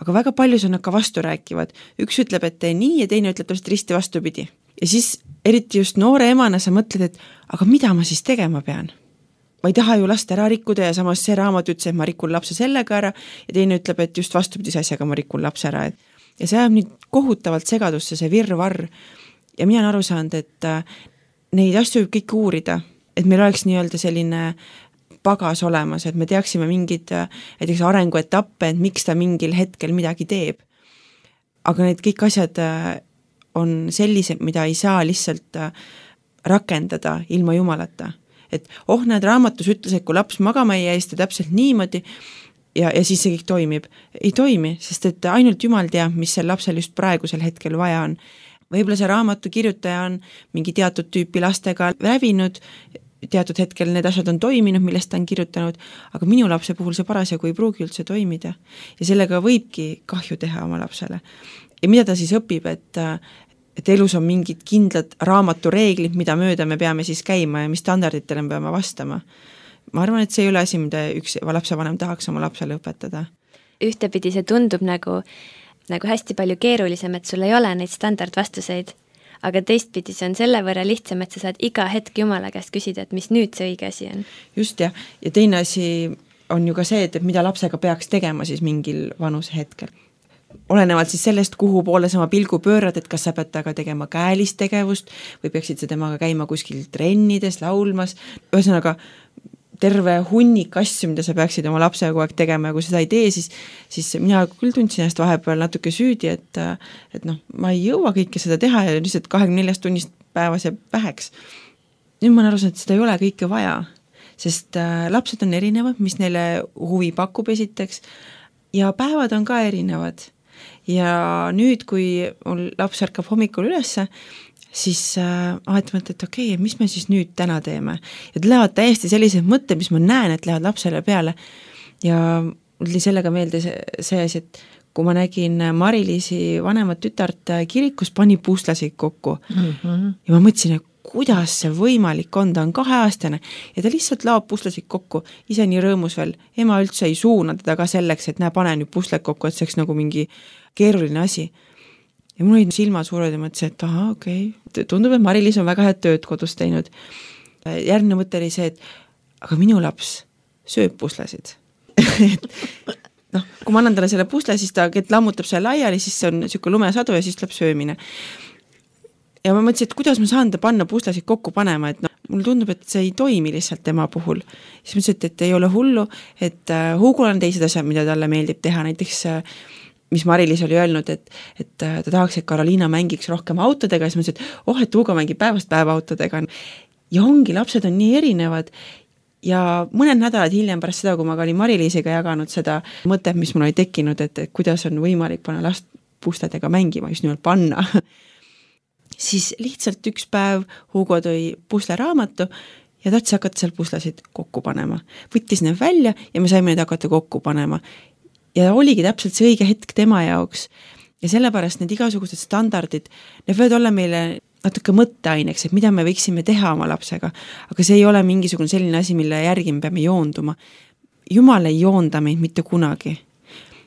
aga väga palju see on ka vastu rääkivad. Üks ütleb, et tee nii ja teine ütleb täpselt risti vastupidi. Ja siis eriti just noore emana sa mõtled, et aga mida ma siis tegema pean? Ma ei taha ju last ära rikkuda ja samas see raamat ütles, et ma rikun lapse sellega ära ja teine ütleb, et just vastupidise asjaga ma rikun lapse ära. Ja see ajab nüüd kohutavalt segadusse, see virvarr. Ja mina olen aru saanud, et neid asju võib kõik uurida, et meil oleks nii-öelda selline pagas olemas, et me teaksime mingid näiteks arenguetappe, et miks ta mingil hetkel midagi teeb. Aga need kõik asjad on sellised, mida ei saa lihtsalt rakendada ilma Jumalata. Et oh, need raamatus ütles, et kui laps magama ei jää, siis ta täpselt niimoodi ja, ja siis see kõik toimib. Ei toimi, sest et ainult Jumal teab, mis sel lapsel just praegusel hetkel vaja on. Võib-olla see raamatu kirjutaja on mingi teatud tüüpi lastega läbinud, teatud hetkel need asjad on toiminud, millest ta on kirjutanud, aga minu lapse puhul see parasjagu ei pruugi üldse toimida. Ja sellega võibki kahju teha oma lapsele. Ja mida ta siis õpib, et, et elus on mingid kindlad raamatu reeglid, mida mööda me peame siis käima ja mis standarditele me peame vastama. Ma arvan, et see ei ole asi, mida üks lapsevanem tahaks oma lapsele õpetada. Ühtepidi see tundub nagu nagu hästi palju keerulisem, et sul ei ole neid standardvastuseid, aga teistpidi see on selle võrra lihtsam, et sa saad iga hetk Jumala käest küsida, et mis nüüd see õige asi on. Just jah, ja teine asi on ju ka see, et mida lapsega peaks tegema siis mingil vanuse hetkel. Olenevalt siis sellest, kuhu poole sama pilgu pöörad, et kas sa pead taga tegema käelist tegevust või peaksid sa temaga käima kuskil trennides, laulmas, ühesõnaga terve hunnik asju, mida sa peaksid oma lapsega kogu aeg tegema ja kui seda ei tee, siis, siis mina küll tundsin ennast vahepeal natuke süüdi, et, et noh, ma ei jõua kõike seda teha ja lihtsalt kahekümne neljast tunnist päevas jääb väheks. Nüüd ma olen aru saanud, et seda ei ole kõike vaja, sest lapsed on erinevad, mis neile huvi pakub esiteks ja päevad on ka erinevad. Ja nüüd, kui mul laps ärkab hommikul ülesse, siis äh, ahetavalt, et okei, okay, mis me siis nüüd täna teeme. Ja lähevad täiesti sellised mõtted, mis ma näen, et lähevad lapsele peale. Ja mul oli sellega meelde see, see asi, et kui ma nägin Mari-Liisi vanemat tütart kirikus, pani puslasid kokku. Mm-hmm. Ja ma mõtlesin, et kuidas see võimalik on, ta on kaheaastane ja ta lihtsalt laob puslasid kokku, ise nii rõõmus veel. Ema üldse ei suuna teda ka selleks, et näe, pane nüüd pusled kokku, et see oleks nagu mingi keeruline asi. Ja mul olid silmad suured ja mõtlesin, et aha, okei, okay. Tundub, et Mari-Liis on väga head tööd kodus teinud. Järgmine mõte oli see, et aga minu laps sööb puslesid. noh, kui ma annan talle selle pusle, siis ta ket lammutab selle laiali, siis see on niisugune lumesadu ja siis tuleb söömine. Ja ma mõtlesin, et kuidas ma saan ta panna puslesid kokku panema, et no, mul tundub, et see ei toimi lihtsalt tema puhul. Siis mõtlesin, et, et ei ole hullu, et uh, Hugul on teised asjad, mida talle meeldib teha, näiteks uh, mis Mari-Liis oli öelnud, et, et ta tahaks, et Karoliina mängiks rohkem autodega, siis ma ütlesin, et oh, et Hugo mängib päevast päeva autodega. Ja ongi, lapsed on nii erinevad ja mõned nädalad hiljem pärast seda, kui ma olin Mari-Liisiga jaganud seda mõtet, mis mul oli tekkinud, et, et kuidas on võimalik panna last pusledega mängima, just nimelt panna, siis lihtsalt üks päev Hugo tõi pusleraamatu ja tahtis hakata seal puslesid kokku panema. Võttis need välja ja me saime need hakata kokku panema. Ja oligi täpselt see õige hetk tema jaoks. Ja sellepärast need igasugused standardid, need võivad olla meile natuke mõtteaineks, et mida me võiksime teha oma lapsega, aga see ei ole mingisugune selline asi, mille järgi me peame joonduma. Jumal ei joonda meid mitte kunagi.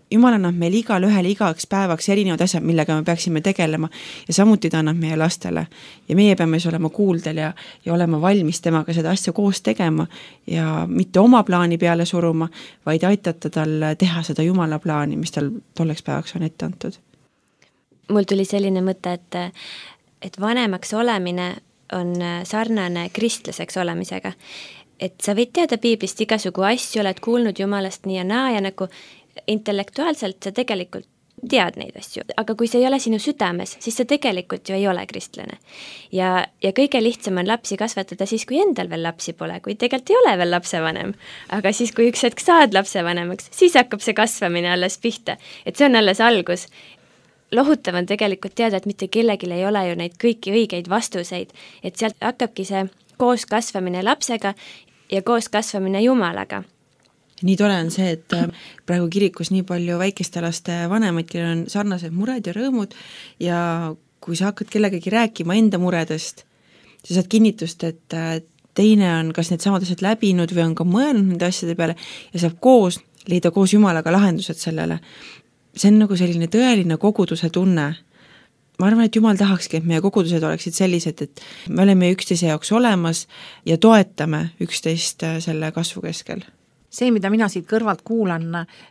Jumal annab meil igal ühel igaks päevaks erinevad asjad, millega me peaksime tegelema ja samuti ta annab meie lastele. Ja meie peame olema kuuldel ja, ja olema valmis temaga seda asja koos tegema ja mitte oma plaani peale suruma, vaid aitata tal teha seda Jumala plaani, mis tal tolleks päevaks on ette antud. Mul tuli selline mõte, et, et vanemaks olemine on sarnane kristlaseks olemisega. Et sa võid teada piiblist igasugu asju, oled kuulnud Jumalast nii ja naa ja nagu intellektuaalselt sa tegelikult tead neid asju, aga kui see ei ole sinu südames, siis sa tegelikult ju ei ole kristlane. Ja, ja kõige lihtsam on lapsi kasvatada siis, kui endal veel lapsi pole, kui tegelikult ei ole veel lapsevanem. Aga siis, kui üks hetk saad lapsevanemaks, siis hakkab see kasvamine alles pihta. Et see on alles algus. Lohutav on tegelikult teada, et mitte kellegil ei ole ju neid kõiki õigeid vastuseid, et sealt hakkabki see koos kasvamine lapsega ja koos kasvamine Jumalaga. Nii tore on see, et praegu kirikus nii palju väikeste laste vanemaid, kellel on sarnased mured ja rõõmud ja kui sa hakkad kellegagi rääkima enda muredest, sa saad kinnitust, et teine on kas need samad asjad läbinud või on ka mõelnud nende asjade peale ja saab koos leida koos Jumalaga lahendused sellele. See on nagu selline tõeline koguduse tunne. Ma arvan, et Jumal tahakski, et meie kogudused oleksid sellised, et me oleme üksteise jaoks olemas ja toetame üksteist selle kasvu keskel. See, mida mina siit kõrvalt kuulan,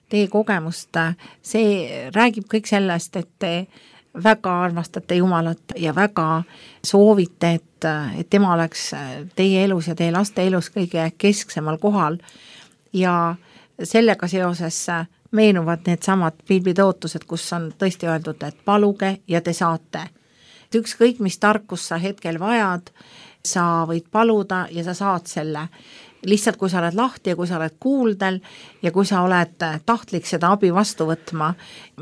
teie kogemust, see räägib kõik sellest, et te väga armastate Jumalat ja väga soovite, et, et tema oleks teie elus ja teie laste elus kõige kesksemal kohal ja sellega seoses meenuvad need samad piiblitootused, kus on tõesti öeldud, et paluge ja te saate. Ükskõik, mis tarkus sa hetkel vajad, sa võid paluda ja sa saad selle. Lihtsalt, kui sa oled lahti ja kui sa oled kuuldel ja kui sa oled tahtlik seda abi vastu võtma.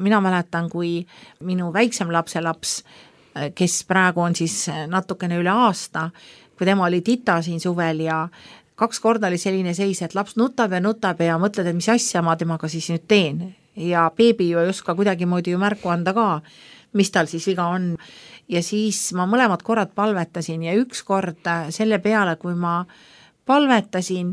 Mina mäletan, kui minu väiksem lapse laps, kes praegu on siis natukene üle aasta, kui tema oli tita siin suvel ja kaks korda oli selline seis, et laps nutab ja nutab ja mõtled, et mis asja ma temaga siis nüüd teen. Ja beebi ju ei oska kuidagi moodi ju märku anda ka, mis tal siis viga on. Ja siis ma mõlemad korrad palvetasin ja üks kord selle peale, kui ma palvetasin,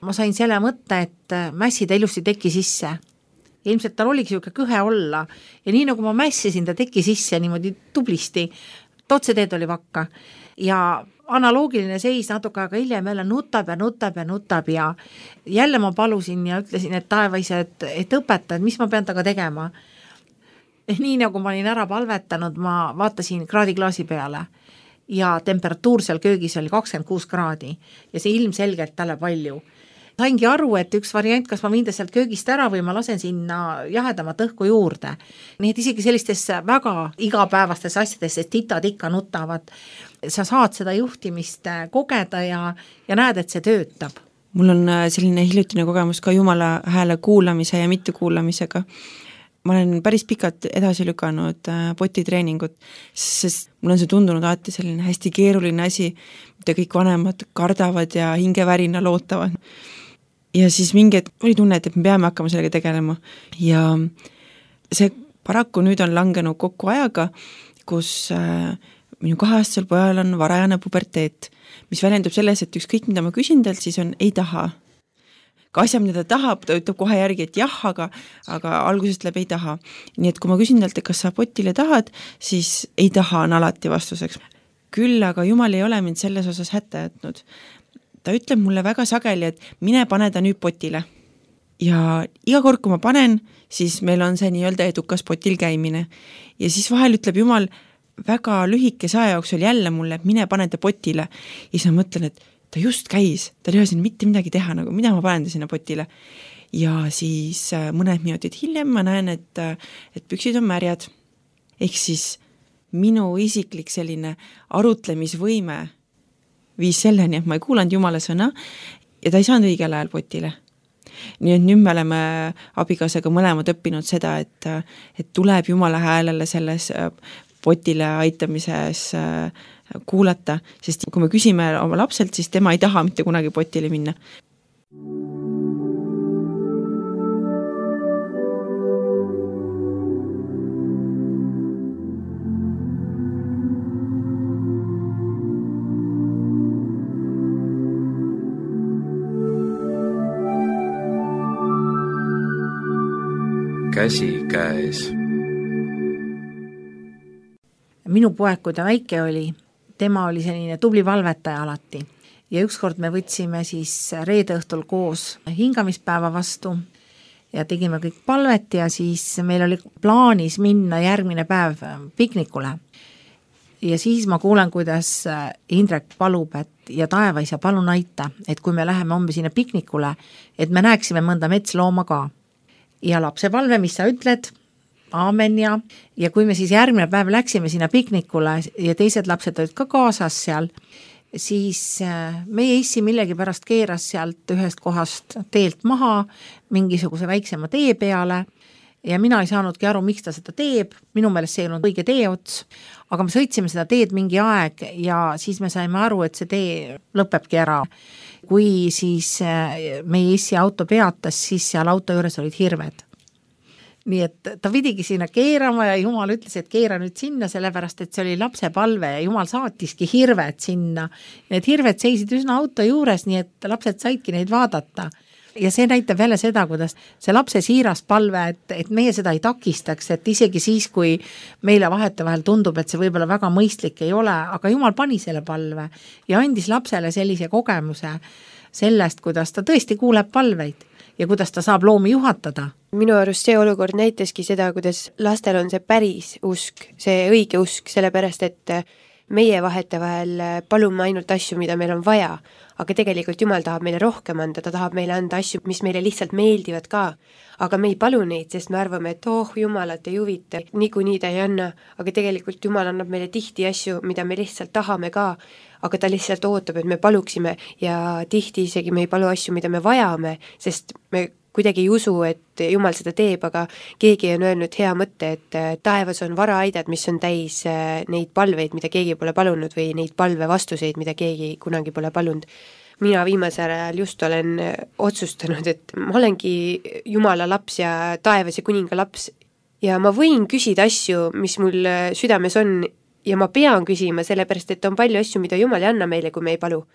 ma sain selle mõtte, et mässi ta ilusti teki sisse. Ja ilmselt tal oligi siuke kõhe olla. Ja nii nagu ma mässisin ta teki sisse niimoodi tublisti, totseteed oli vakka. Ja analoogiline seis natuke aega hiljem jälle nutab ja nutab ja nutab ja jälle ma palusin ja ütlesin, et taevaise, et, et õpeta, et mis ma pean taga tegema. Nii nagu ma olin ära palvetanud, ma vaatasin kraadiklaasi peale. Ja temperatuur seal köögis oli kakskümmend kuus kraadi ja see ilmselgelt talle palju. Saingi aru, et üks variant, kas ma viin sealt köögist ära või ma lasen sinna jahedamat õhku juurde. Nii et isegi sellistes väga igapäevastes asjades, sest titad ikka nutavad, sa saad seda juhtimist kogeda ja, ja näed, et see töötab. Mul on selline hiljutine kogemus ka Jumala hääle kuulamise ja mitte kuulamisega. Ma olen päris pikalt edasi lükanud potitreeningut, sest mul on see tundunud alati selline hästi keeruline asi, mida kõik vanemad kardavad ja hingevärina lootavad. Ja siis mingi hetk oli tunne, et me peame hakkama sellega tegelema. Ja see paraku nüüd on langenud kokku ajaga, kus minu kaheaastasel pojal on varajane puberteet, mis väljendub selles, et ükskõik mida ma küsin talt, siis on ei taha. Ka asja, mida ta tahab, ta ütleb kohe järgi, et jah, aga, aga algusest läbi ei taha. Nii et kui ma küsin talt, et kas sa potile tahad, siis ei taha on alati vastuseks. Küll, aga Jumal ei ole mind selles osas hätta jätnud. Ta ütleb mulle väga sageli, et mine pane ta nüüd potile. Ja iga kord, kui ma panen, siis meil on see nii-öelda edukas potil käimine. Ja siis vahel ütleb Jumal väga lühikese aja jooksul jälle mulle, et mine pane ta potile. Ja siis ma mõtlen, et ta just käis, ta ei ole siin mitte midagi teha, nagu mida ma panen ta sinna potile. ja siis mõned minutid hiljem ma näen, et, et püksid on märjad. Ehk siis minu isiklik selline arutlemisvõime viis selleni, et ma ei kuulanud Jumala sõna ja ta ei saanud õigel ajal potile. Nii et nüüd me oleme abikaasaga mõlemad õppinud seda, et, et tuleb Jumala häälele selles potile aitamises kuulata, sest kui me küsime oma lapselt, siis tema ei taha mitte kunagi potile minna. Käsi käes. Minu poeg, kui ta väike oli, tema oli selline tubli valvetaja alati ja ükskord me võtsime siis reede õhtul koos hingamispäeva vastu ja tegime kõik palvet ja siis meil oli plaanis minna järgmine päev piknikule. Ja siis ma kuulen, kuidas Indrek palub, et ja taevaisa, palun aita, et kui me läheme homme sinna piknikule, et me näeksime mõnda metslooma ka. Ja lapse palve, mis sa ütled, aamen ja, ja kui me siis järgmine päev läksime sinna piknikule ja teised lapsed olid ka kaasas seal, siis meie issi millegi pärast keeras sealt ühest kohast teelt maha mingisuguse väiksema tee peale ja mina ei saanudki aru, miks ta seda teeb, minu meelest see ei olnud õige teeots, aga me sõitsime seda teed mingi aeg ja siis me saime aru, et see tee lõpebki ära. Kui siis meie issi auto peatas, siis seal auto juures olid hirved. Nii et ta pidigi sinna keerama ja Jumal ütles, et keera nüüd sinna, sellepärast, et see oli lapse palve ja Jumal saatiski hirved sinna. Need hirved seisid üsna auto juures, nii et lapsed saidki neid vaadata. Ja see näitab jälle seda, kuidas see lapse siiras palve, et, et meie seda ei takistaks, et isegi siis, kui meile vahete vahel tundub, et see võib-olla väga mõistlik ei ole, aga Jumal pani selle palve ja andis lapsele sellise kogemuse sellest, kuidas ta tõesti kuuleb palveid ja kuidas ta saab loomi juhatada. Minu arust see olukord näitaski seda, kuidas lastel on see päris usk, see õige usk, sellepärast et meie vahete vahel palume ainult asju, mida meil on vaja, aga tegelikult Jumal tahab meile rohkem anda, ta tahab meile anda asju, mis meile lihtsalt meeldivad ka, aga me ei palu neid, sest me arvame, et oh, Jumalat ei huvita, niikuinii ta ei anna, aga tegelikult Jumal annab meile tihti asju, mida me lihtsalt tahame ka, aga ta lihtsalt ootab, et me paluksime ja tihti isegi me ei palu asju, mida me vajame, sest me kuidagi ei usu, et Jumal seda teeb, aga keegi on öelnud hea mõtte, et taevas on varaaidad, mis on täis neid palveid, mida keegi pole palunud või neid palve vastuseid, mida keegi kunagi pole palunud. Mina viimasel ajal just olen otsustanud, et ma olengi Jumala laps ja taevas ja kuninga laps ja ma võin küsida asju, mis mul südames on ja ma pean küsima, sellepärast et on palju asju, mida Jumal ei anna meile, kui me ei palu.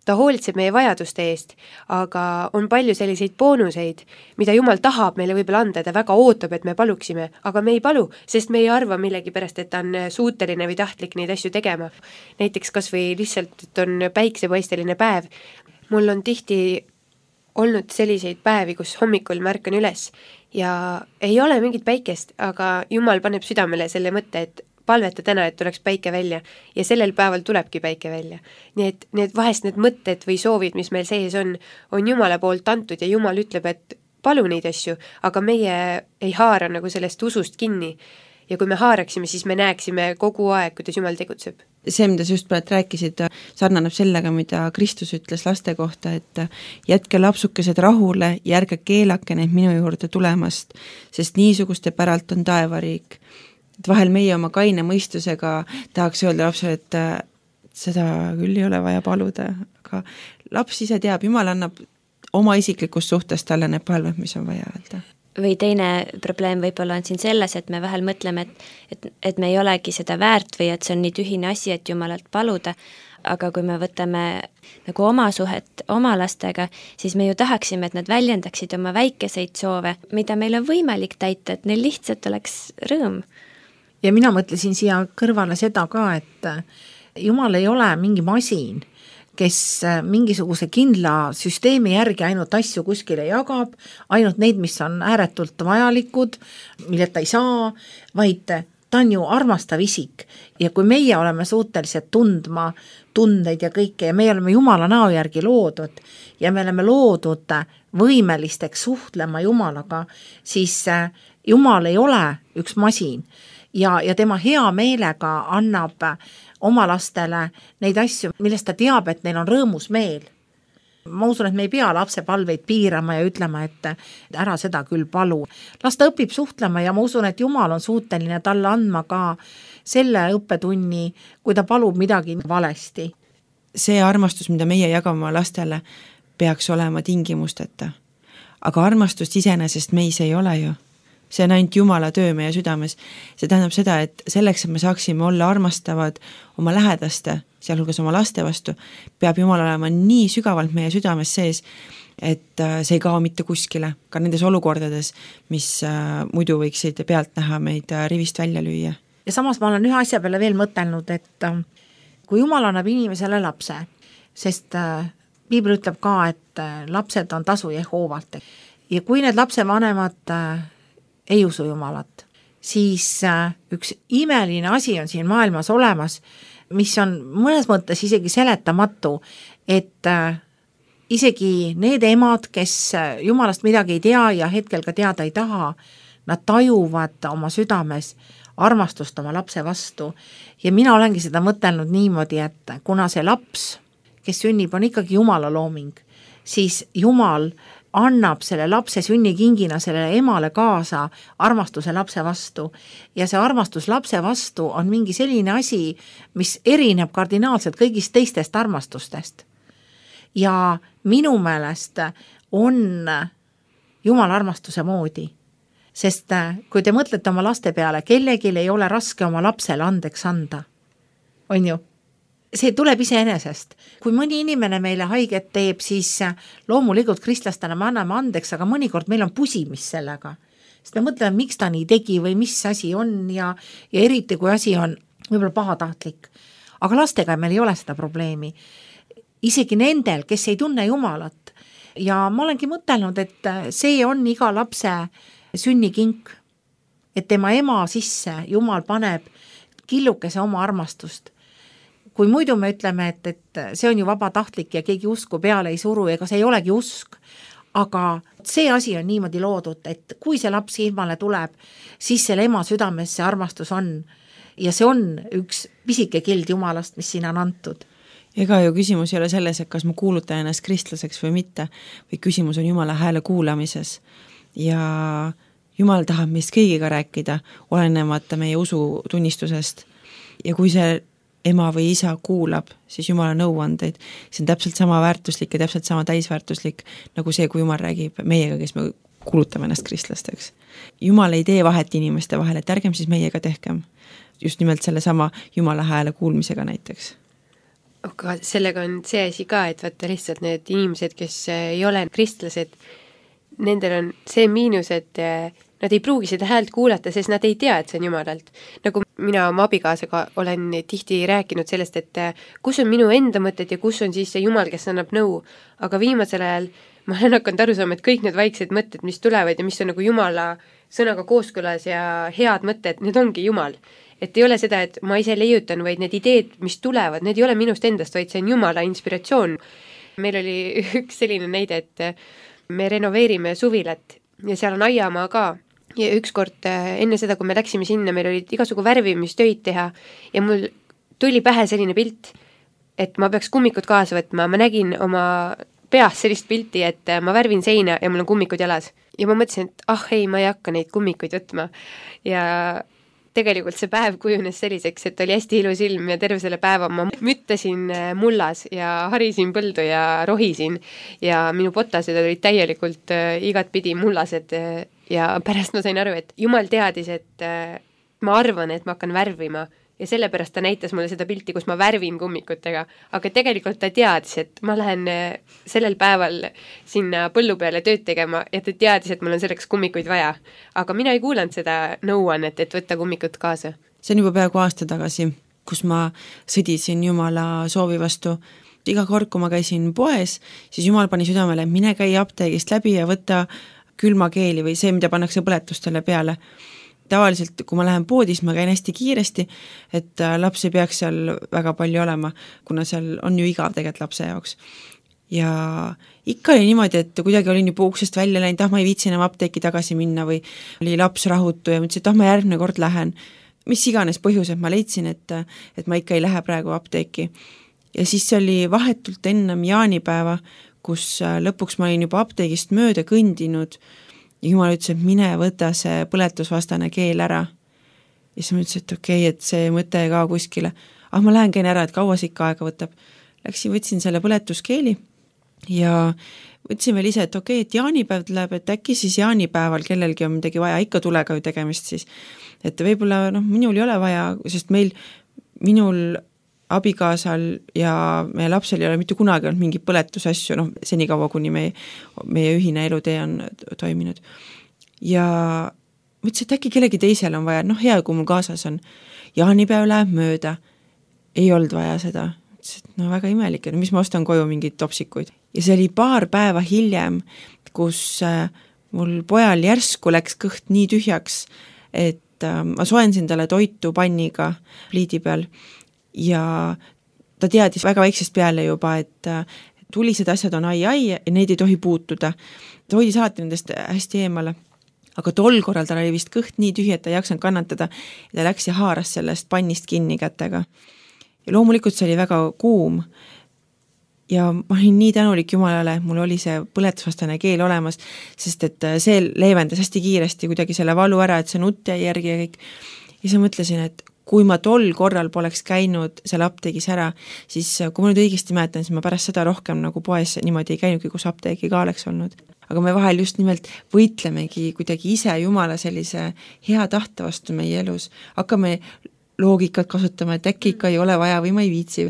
Ta hoolitseb meie vajaduste eest, aga on palju selliseid boonuseid, mida Jumal tahab meile võib-olla anda, ta väga ootab, et me paluksime, aga me ei palu, sest me ei arva millegi pärast, et ta on suuteline või tahtlik neid asju tegema. Näiteks kas või lihtsalt, et on päiksepaisteline päev. Mul on tihti olnud selliseid päevi, kus hommikul märkan üles ja ei ole mingit päikest, aga Jumal paneb südamele selle mõtte, et palveta täna, et tuleks päike välja ja sellel päeval tulebki päike välja. Nii et need vahest need mõtted või soovid, mis meil sees on, on Jumala poolt antud ja Jumal ütleb, et palu neid asju, aga meie ei haara nagu sellest usust kinni. Ja kui me haaraksime, siis me näeksime kogu aeg, kuidas Jumal tegutseb. See, mida sa just praegu rääkisid, sarnaneb sellega, mida Kristus ütles laste kohta, et jätke lapsukesed rahule ja ärge keelake neid minu juurde tulemast, sest niisuguste päralt on taevariik. Et vahel meie oma kaine mõistusega tahaks öelda lapsele, et seda küll ei ole vaja paluda, aga laps ise teab, Jumal annab oma isiklikust suhtest talle need palved, mis on vaja öelda. Või teine probleem võib-olla on siin selles, et me vahel mõtleme, et, et, et me ei olegi seda väärt või et see on nii tühine asi, et Jumalalt paluda, aga kui me võtame nagu oma suhet oma lastega, siis me ju tahaksime, et nad väljendaksid oma väikeseid soove, mida meil on võimalik täita, et neil lihtsalt oleks rõõm. Ja mina mõtlesin siia kõrvale seda ka, et Jumal ei ole mingi masin, kes mingisuguse kindla süsteemi järgi ainult asju kuskile jagab, ainult neid, mis on ääretult vajalikud, milleta ei saa, vaid ta on ju armastav isik ja kui meie oleme suutelised tundma tundeid ja kõike ja meie oleme Jumala näo järgi loodud ja me oleme loodud võimelisteks suhtlema Jumalaga, siis Jumal ei ole üks masin ja, ja tema hea meelega annab oma lastele neid asju, millest ta teab, et neil on rõõmus meel. Ma usun, et me ei pea lapse palveid piirama ja ütlema, et ära seda küll palu. Las ta õpib suhtlema ja ma usun, et Jumal on suuteline talle andma ka selle õppetunni, kui ta palub midagi valesti. See armastus, mida meie jagame lastele, peaks olema tingimusteta. Aga armastust iseenesest meis ei ole ju. See on ainult Jumala töö meie südames. See tähendab seda, et selleks, et me saaksime olla armastavad oma lähedaste, sealhulgas oma laste vastu, peab Jumal olema nii sügavalt meie südames sees, et see ei kao mitte kuskile, ka nendes olukordades, mis muidu võiksid pealt näha meid rivist välja lüüa. Ja samas ma olen ühe asja peale veel mõtelnud, et kui Jumal annab inimesele lapse, sest Piibel ütleb ka, et lapsed on tasu Jehoovalt ja kui need lapse vanemad ei usu Jumalat, siis üks imeline asi on siin maailmas olemas, mis on mõnes mõttes isegi seletamatu, et isegi need emad, kes Jumalast midagi ei tea ja hetkel ka teada ei taha, nad tajuvad oma südames armastust oma lapse vastu ja mina olengi seda mõtelnud niimoodi, et kuna see laps, kes sünnib, on ikkagi Jumala looming, siis Jumal annab selle lapse sünnikingina sellele emale kaasa armastuse lapse vastu ja see armastus lapse vastu on mingi selline asi, mis erineb kardinaalselt kõigist teistest armastustest. Ja minu meelest on Jumala armastuse moodi, sest kui te mõtlete oma laste peale, kellelgi ei ole raske oma lapsele andeks anda, on ju? See tuleb iseenesest. Kui mõni inimene meile haiget teeb, siis loomulikult kristlastena me anname andeks, aga mõnikord meil on pusimis sellega. Sest me mõtleme, miks ta nii tegi või mis asi on ja, ja eriti kui asi on võib-olla pahatahtlik. Aga lastega meil ei ole seda probleemi. Isegi nendel, kes ei tunne Jumalat. Ja ma olengi mõtelnud, et see on iga lapse sünnikink, et tema ema sisse Jumal paneb killukese oma armastust. Kui muidu me ütleme, et, et see on ju vabatahtlik ja keegi usku peale ei suru, ega see ei olegi usk, aga see asi on niimoodi loodud, et kui see laps ilmale tuleb, siis selle ema südames see armastus on ja see on üks pisike kild Jumalast, mis siin on antud. Ega ju küsimus ei ole selles, et kas ma kuulutan ennast kristlaseks või mitte, või küsimus on Jumala hääle kuulamises ja Jumal tahab meist kõigiga rääkida, olenemata meie usutunnistusest ja kui see ema või isa kuulab, siis Jumala nõuandeid. See on täpselt sama väärtuslik ja täpselt sama täisväärtuslik nagu see, kui Jumal räägib meiega, kes me kuulutame ennast kristlasteks. Jumal ei tee vahet inimeste vahel, et ärgem siis meiega tehkem. Just nimelt selle sama Jumala hääle kuulmisega näiteks. Aga sellega on see asi ka, et vaata lihtsalt need inimesed, kes ei ole kristlased, nendel on see miinus, et nad ei pruugi seda häält kuulata, sest nad ei tea, et see on Jumalalt. Nagu mina oma abikaasaga olen tihti rääkinud sellest, et kus on minu enda mõtted ja kus on siis see Jumal, kes annab nõu. Aga viimasel ajal ma olen hakanud aru saama, et kõik need vaiksed mõtted, mis tulevad ja mis on nagu Jumala sõnaga kooskõlas ja head mõtted, need ongi Jumal. Et ei ole seda, et ma ise leiutan, vaid need ideed, mis tulevad, need ei ole minust endast, vaid see on Jumala inspiratsioon. Meil oli üks selline näide, et me renoveerime suvilat ja seal on aiamaa ka. Ja ükskord enne seda, kui me läksime sinna, meil olid igasugu värvimistöid teha ja mul tuli pähe selline pilt, et ma peaks kummikud kaasa võtma. Ma nägin oma peas sellist pilti, et ma värvin seina ja mul on kummikud jalas. Ja ma mõtlesin, et ah ei, ma ei hakka neid kummikuid võtma. Ja tegelikult see päev kujunes selliseks, et oli hästi ilus ilm ja terve selle päeva ma müttasin mullas ja harisin põldu ja rohisin ja minu potased olid täielikult igat pidi mullased ja pärast ma sain aru, et Jumal teadis, et ma arvan, et ma hakkan värvima ja sellepärast ta näitas mulle seda pilti, kus ma värvin kummikutega, aga tegelikult ta teadis, et ma lähen sellel päeval sinna põllu peale tööd tegema ja ta teadis, et mul on selleks kummikuid vaja. Aga mina ei kuulanud seda nõuannet, et võtta kummikud kaasa. See on juba peaaegu aasta tagasi, kus ma sõdisin Jumala soovi vastu. Iga kord, kui ma käisin poes, siis Jumal pani südamele, et mine käi apteegist läbi ja võtta külmakeeli või see, mida pannakse põletustele peale. tavaliselt, kui ma lähen poodis, ma käin hästi kiiresti, et laps ei peaks seal väga palju olema, kuna seal on ju igav tegelikult lapse jaoks. Ja ikka oli niimoodi, et kuidagi olin juba uksest välja läinud, ah ma ei viitsi enam apteeki tagasi minna või oli laps rahutu ja mõtlesin, et ah ma järgmine kord lähen. Mis iganes põhjused ma leidsin, et, et ma ikka ei lähe praegu apteeki. Ja siis oli vahetult ennem jaanipäeva, kus lõpuks ma olin juba apteegist mööda kõndinud ja jumal ütles, et mine võta see põletusvastane keel ära. Ja siis ma ütlesin, et okei, okay, et see mõte ei kao kuskile. Ah, ma lähen käin ära, et kaua see ikka aega võtab. Läksin, võtsin selle põletuskeeli ja võtsin veel ise, et okei, okay, et jaanipäev tuleb, et äkki siis jaanipäeval kellelgi on midagi vaja, ikka tulega ju tegemist siis. Et võib-olla, noh, minul ei ole vaja, sest meil, minul abikaasal ja meie lapsel ei ole mitte kunagi olnud mingi põletusasju, noh, senikaua, kuni meie, meie ühine elutee on toiminud. Ja mõtlesin, et äkki kellegi teisel on vaja, noh, hea, kui mul kaasas on. Jaanipäev läheb mööda, ei olnud vaja seda. Mõtlesin, et no väga imelik, et mis ma ostan koju mingid topsikuid. Ja see oli paar päeva hiljem, kus äh, mul pojal järsku läks kõht nii tühjaks, et äh, ma soensin talle toitu panniga pliidi peal, ja ta teadis väga väiksest peale juba, et tulised asjad on ai-ai ja neid ei tohi puutuda. Ta hoidis alati nendest hästi eemale. Aga tol korral tal oli vist kõht nii tühi, et ta ei jaksanud kannatada ja ta läks ja haaras sellest pannist kinni kätega. Ja loomulikult see oli väga kuum ja ma olin nii tänulik Jumalale, mul oli see põletusvastane keel olemas, sest et see leevendas hästi kiiresti kuidagi selle valu ära, et see nutt jäi järgi ja kõik. Ja siis mõtlesin, et kui ma tol korral poleks käinud seal apteegis ära, siis kui ma nüüd õigesti mäletan, siis ma pärast seda rohkem nagu poes niimoodi ei käinudki, kus apteegi ka oleks olnud. Aga me vahel just nimelt võitlemegi kuidagi ise Jumala sellise hea tahte vastu meie elus. Hakkame loogikat kasutama, et äkki ikka ei ole vaja või ma ei viitsi.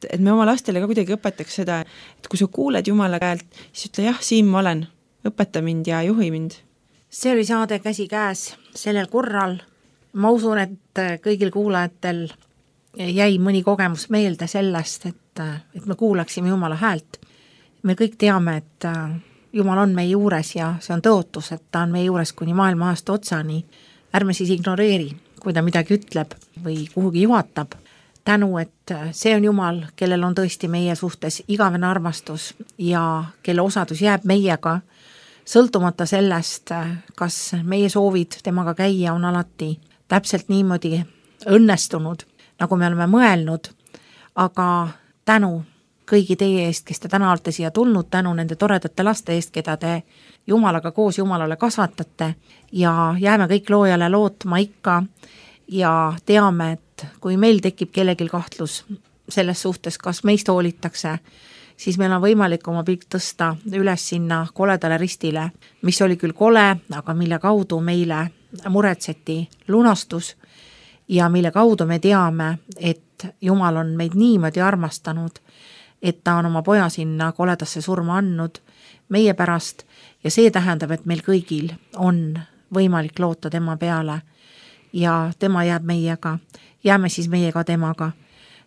Et me oma lastele ka kuidagi õpetaks seda, et kui sa kuuled Jumala käelt, siis ütle jah, siin ma olen, õpeta mind ja juhi mind. See oli saade Käsi käes sellel korral. Ma usun, et kõigil kuulajatel jäi mõni kogemus meelde sellest, et, et me kuulaksime Jumala häält. Me kõik teame, et Jumal on meie juures ja see on tõotus, et ta on meie juures kuni maailma aasta otsani. Ärme siis ignoreeri, kui ta midagi ütleb või kuhugi juhatab. Tänu, et see on Jumal, kellel on tõesti meie suhtes igavene armastus ja kelle osadus jääb meiega, sõltumata sellest, kas meie soovid temaga käia on alati täpselt niimoodi õnnestunud, nagu me oleme mõelnud, aga tänu kõigi teie eest, kes te täna olete siia tulnud, tänu nende toredate laste eest, keda te Jumalaga koos Jumalale kasvatate ja jääme kõik loojale lootma ikka ja teame, et kui meil tekib kellelgi kahtlus selles suhtes, kas meist hoolitakse, siis meil on võimalik oma pilk tõsta üles sinna koledale ristile, mis oli küll kole, aga mille kaudu meile muretseti lunastus ja mille kaudu me teame, et Jumal on meid niimoodi armastanud, et ta on oma poja sinna koledasse surma andnud meie pärast ja see tähendab, et meil kõigil on võimalik loota tema peale ja tema jääb meiega, jääme siis meiega temaga.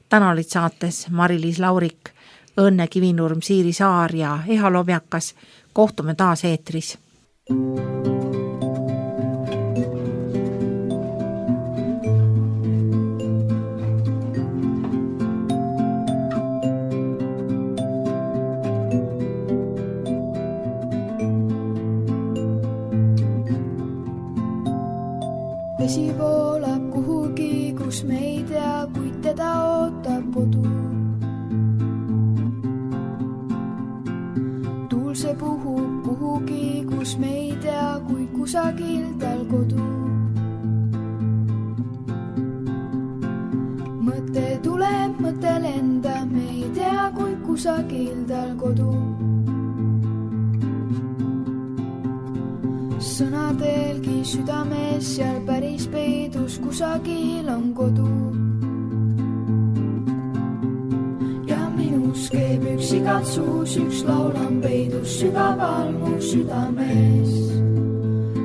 Täna olid saates Mari-Liis Laurik, Õnne Kivinurm, Siiri Saar ja Eha Lobjakas. Kohtume taas eetris. Vesi voolab kuhugi, kus me ei tea, kuid teda ootab kodu. Tuul see puhub kuhugi, kus me ei tea, kuid kusagil tal kodu. Mõte tuleb, mõte lenda, me ei tea, kuid kusagil tal kodu. Sõnadelgi südames seal päris peidus kusagil on kodu. Ja minus keeb üks igatsus, üks laul on peidus sügaval mu südames.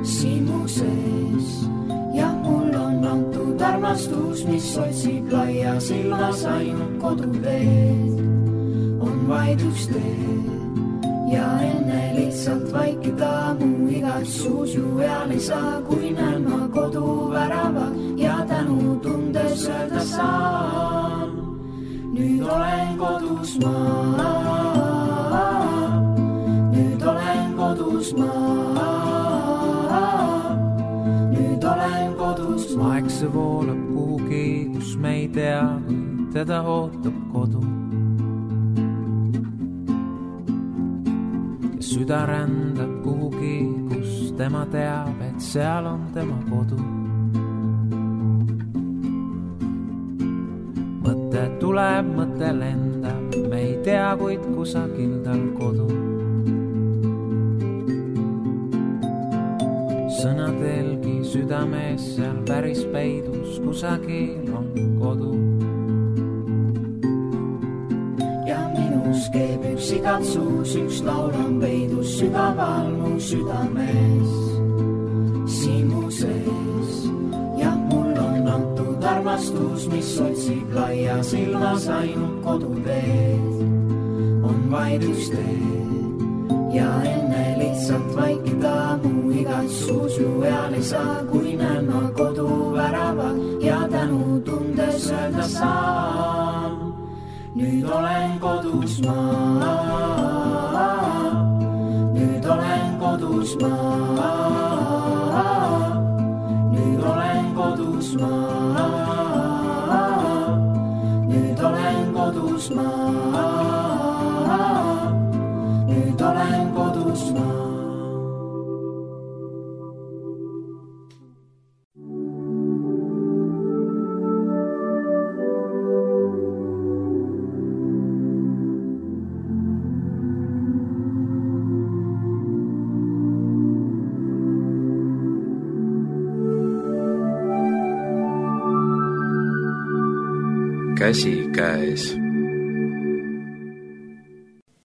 Siin mu sees ja mul on antud armastus, mis otsib laia silmas ainult koduteed. On vaid üks tee ja enne lihtsalt vaikida mu igatsus ju eal ei saa, kui näen ma kodu see voolab kuhugi, kus me ei tea, kui teda ootab kodu. Ja süda rändab kuhugi, kus tema teab, et seal on tema kodu. Mõte tuleb, mõte lendab, me ei tea, kuid kusagil tal kodu. Sõnadelgi südames seal päris peidus, kusagil on kodu. Ja minus keeb üks igatsus, üks laul on peidus sügaval mu südames, siin mu sees. Ja mul on antud armastus, mis otsib laia silmas ainult koduteed. On vaid üks tee ja enne lihtsalt vaikida mu igatsus ju eal ei saa, kui näen ma koduväravad ja tänu tundes öelda saan. Nüüd olen kodus ma, nüüd olen kodus ma, nüüd olen kodus ma, nüüd olen kodus ma, nüüd olen kodus ma. Käsi käes.